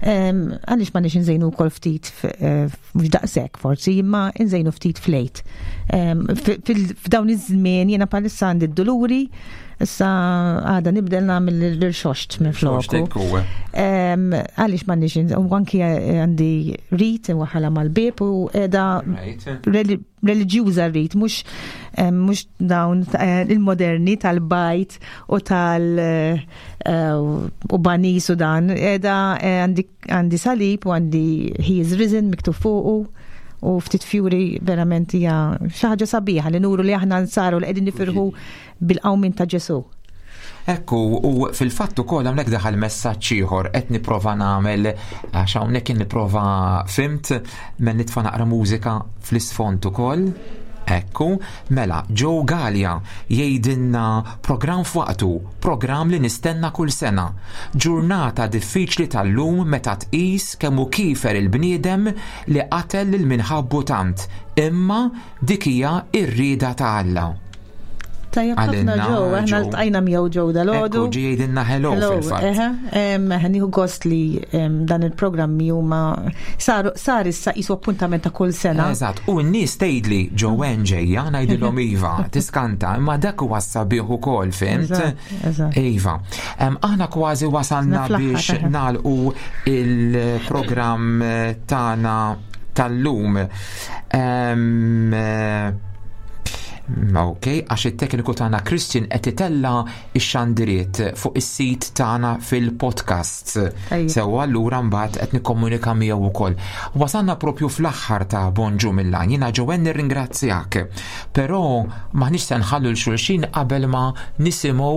[SPEAKER 3] Għaliex ma nix inżejnu wkoll ftit mhux daqshekk forsi, imma inżejnu ftit flejt. F'dawn iż-żmien jiena bħalissa għandi d-duluri, issa għada nibdel nagħmel l-irxoxt minn
[SPEAKER 2] Irxoxt,
[SPEAKER 3] floku.
[SPEAKER 2] hekk huwa.
[SPEAKER 3] Għaliex ma nix u anki għandi rit waħala mal-bib u qiegħda reliġjuża rrit, mhux dawn il-moderni tal-bajt u tal u banis u dan, qiegħda għandi salib u għandi He is risen miktub fuqu u ftit fjuri verament hija xi ħaġa sabiħa li nuru li aħna nsaru li qegħdin nifirħu bil-qawmin ta' Ġesù.
[SPEAKER 2] Ekku, u fil-fatt ukoll hawnhekk daħal messaġġ ieħor qed nipprova nagħmel għax hawnhekk nipprova fimt men nitfa' naqra mużika fl-isfond ukoll. Ekku, mela, Joe Gallia jgħidilna programm f'waqtu, programm li nistenna kull sena. Ġurnata diffiċli tal-lum meta tqis kemm hu kifer il-bniedem li qatel lil minħabbu tant, imma dik hija r-rieda ta' Alla.
[SPEAKER 3] Tajjeb ħafna
[SPEAKER 2] Għalinna,
[SPEAKER 3] ġew, aħna
[SPEAKER 2] Joe.
[SPEAKER 3] ltqajna miegħu ġew dal-għodu.
[SPEAKER 2] Ekku, ġie jgħidilna hello fil-fatt.
[SPEAKER 3] eħe, nieħu gost li dan il-programmi huma saru sar issa qisu appuntament ta' kull sena.
[SPEAKER 2] Eżatt, u n-nies tgħidli Joanne ġejja ngħidilhom iva, tiskanta, imma dak huwa sabiħ ukoll, fimt?
[SPEAKER 3] Eżatt, eżatt.
[SPEAKER 2] Iva. Aħna kważi wasalna
[SPEAKER 3] Fl-aħħar,
[SPEAKER 2] biex
[SPEAKER 3] eħe.
[SPEAKER 2] nagħlqu il-programm tagħna tal-lum. Ok, għax it-tekniku tagħna Christian qed itella x-xandiriet fuq is-sit tagħna fil-podcast.
[SPEAKER 3] Tajjeb.
[SPEAKER 2] Sewwa allura mbagħad qed nikkomunika miegħu wkoll. Wasalna propju fl-aħħar ta' Bonġu mill-Għajn. Jiena Joanne nirringrazzjak. Però maħniex se nħallu l xulxin qabel ma nisimgħu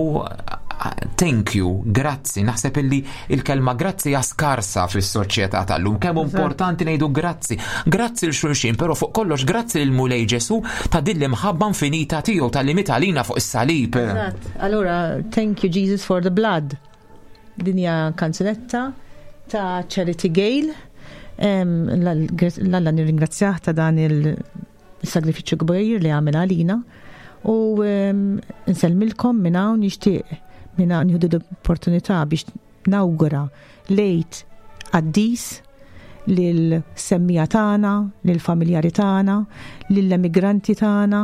[SPEAKER 2] thank you, grazzi. Naħseb illi il-kelma grazzi hija skarsa fis-soċjetà tal-lum. Kemm importanti ngħidu grazzi. Grazzi l xulxin, però fuq kollox grazzi lil Mulej Ġesu ta' din l-imħabba infinita tiegħu tal-li miet għalina fuq is-salib.
[SPEAKER 3] Eżatt. Allura, thank you Jesus for the blood. Din hija kanzunetta ta' Charity Gale. L-Alla nirringrazzjah ta' dan il-sagrifiċċju kbir li għamel għalina. U nsellmilkom minn hawn, nixtieq minn hawn nieħdu l-opportunità biex nawgura lejt qaddis lil-semmija tagħna, lil-familjari tagħna, lill-emigranti tagħna,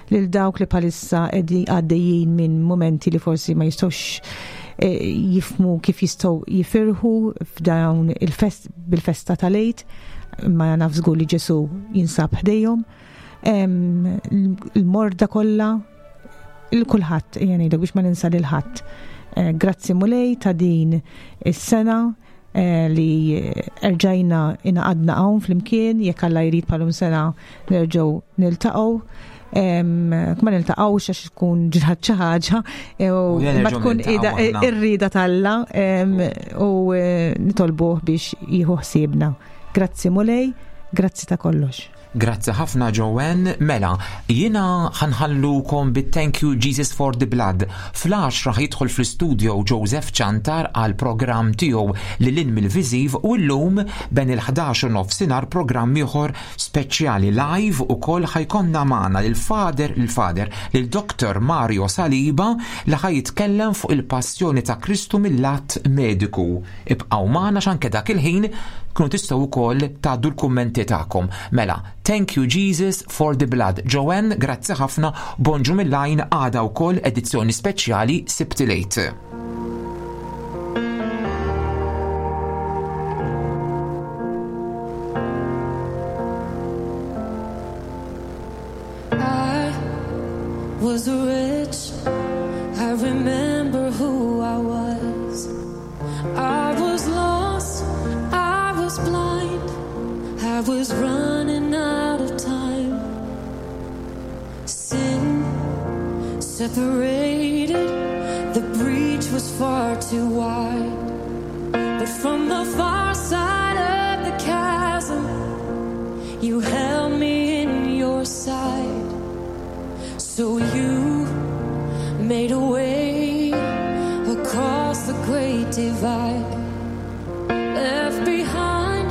[SPEAKER 3] lil dawk li bħalissa qegħdin għaddejjin minn momenti li forsi ma jistgħux jifmu kif jistgħu jifirħu f'dawn il-fest bil-festa tal-Għid, imma naf żgur li Ġesu jinsab ħdejhom. Il-morda kollha, il-kulħadd, ejja ngħidlek biex ma ninsa lil ħadd. Grazzi Mulej ta' din is-sena li erġajna ingħaqadna hawn flimkien, jekk Alla jrid bħalum sena nerġgħu niltaqgħu. Ma niltaqgħux għax tkun ġrat xi ħaġa, u
[SPEAKER 2] U jien
[SPEAKER 3] ma
[SPEAKER 2] nerġgħu
[SPEAKER 3] tkun
[SPEAKER 2] niltaqgħu aħna.
[SPEAKER 3] ir-rieda t'Alla, u nitolbuh biex jieħu ħsiebna. Grazzi Mulej, grazzi ta' kollox.
[SPEAKER 2] Grazzi ħafna Joanne. Mela, jiena ħanħallukom bit Thank You Jesus for the Blood. Fl-10 jidħol fl-istudio Joseph Ciantar għal programm tiegħu lil hinn mill-viżiv, u llum ben il-ħdax u nofsinhar programm ieħor speċjali live ukoll ħajkonna magħna lil fader, lil Doktor Mario Saliba li ħaj jitkellem fuq il-passjoni ta' Kristu mill-lat mediku. Ibqgħu magħna x'anke dak il-ħin kunu tistgħu wkoll tgħaddu l-kummenti tagħkom. Mela, thank you Jesus for the blood. Joanne, grazzi ħafna, bonġu mill-għajn, għada wkoll edizzjoni speċjali Sibt il-Għid.
[SPEAKER 4] I was rich, I remember who I was. I was lost, I was blind, I was running out of time. Sin separated, the breach was far too wide. But from the far side of the chasm, you held me in your sight. So you made a way across the great divide, left behind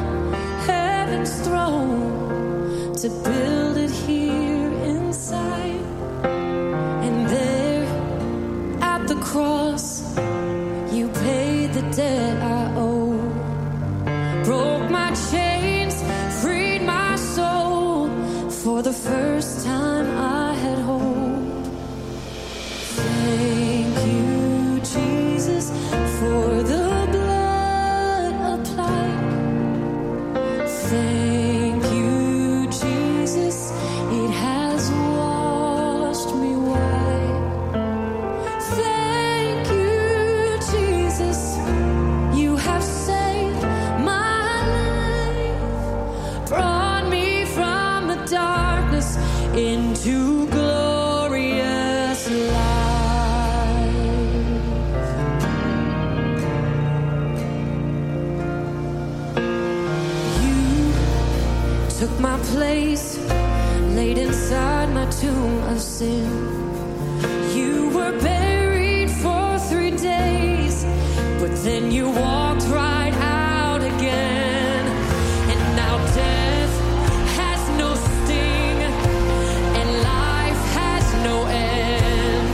[SPEAKER 4] heaven's throne to build it here inside. And there at the cross, you paid the debt I owe, broke my chains, freed my soul. For the first time I had hope. Thank you, Jesus, for the blood applied. Thank you, Jesus, it has washed me white. Thank you, Jesus, you have saved my life, brought me from the darkness into glorious light. You took my place, laid inside my tomb of sin. You were buried for 3 days, but then you walked right out again. And now death has no sting, and life has no end.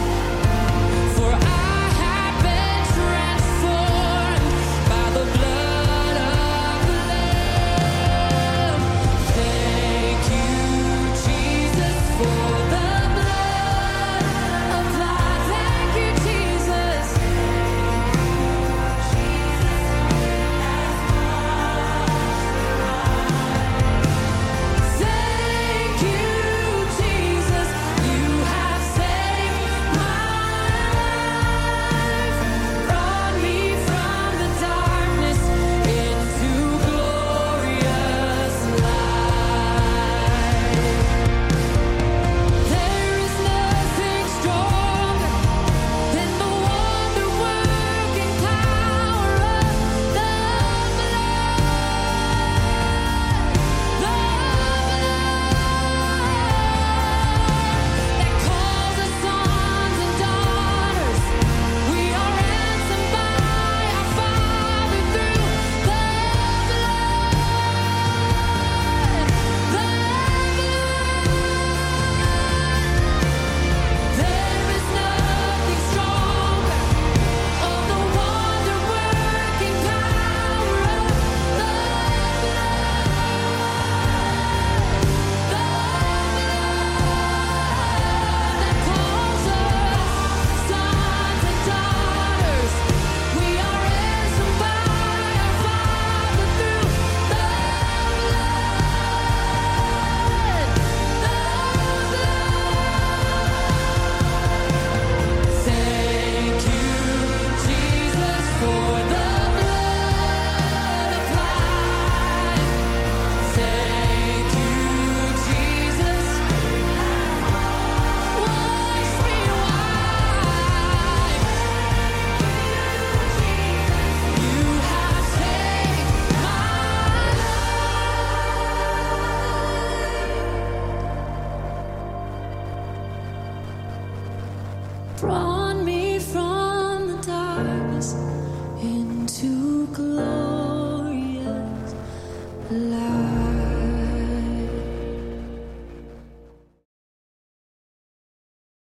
[SPEAKER 4] Promise.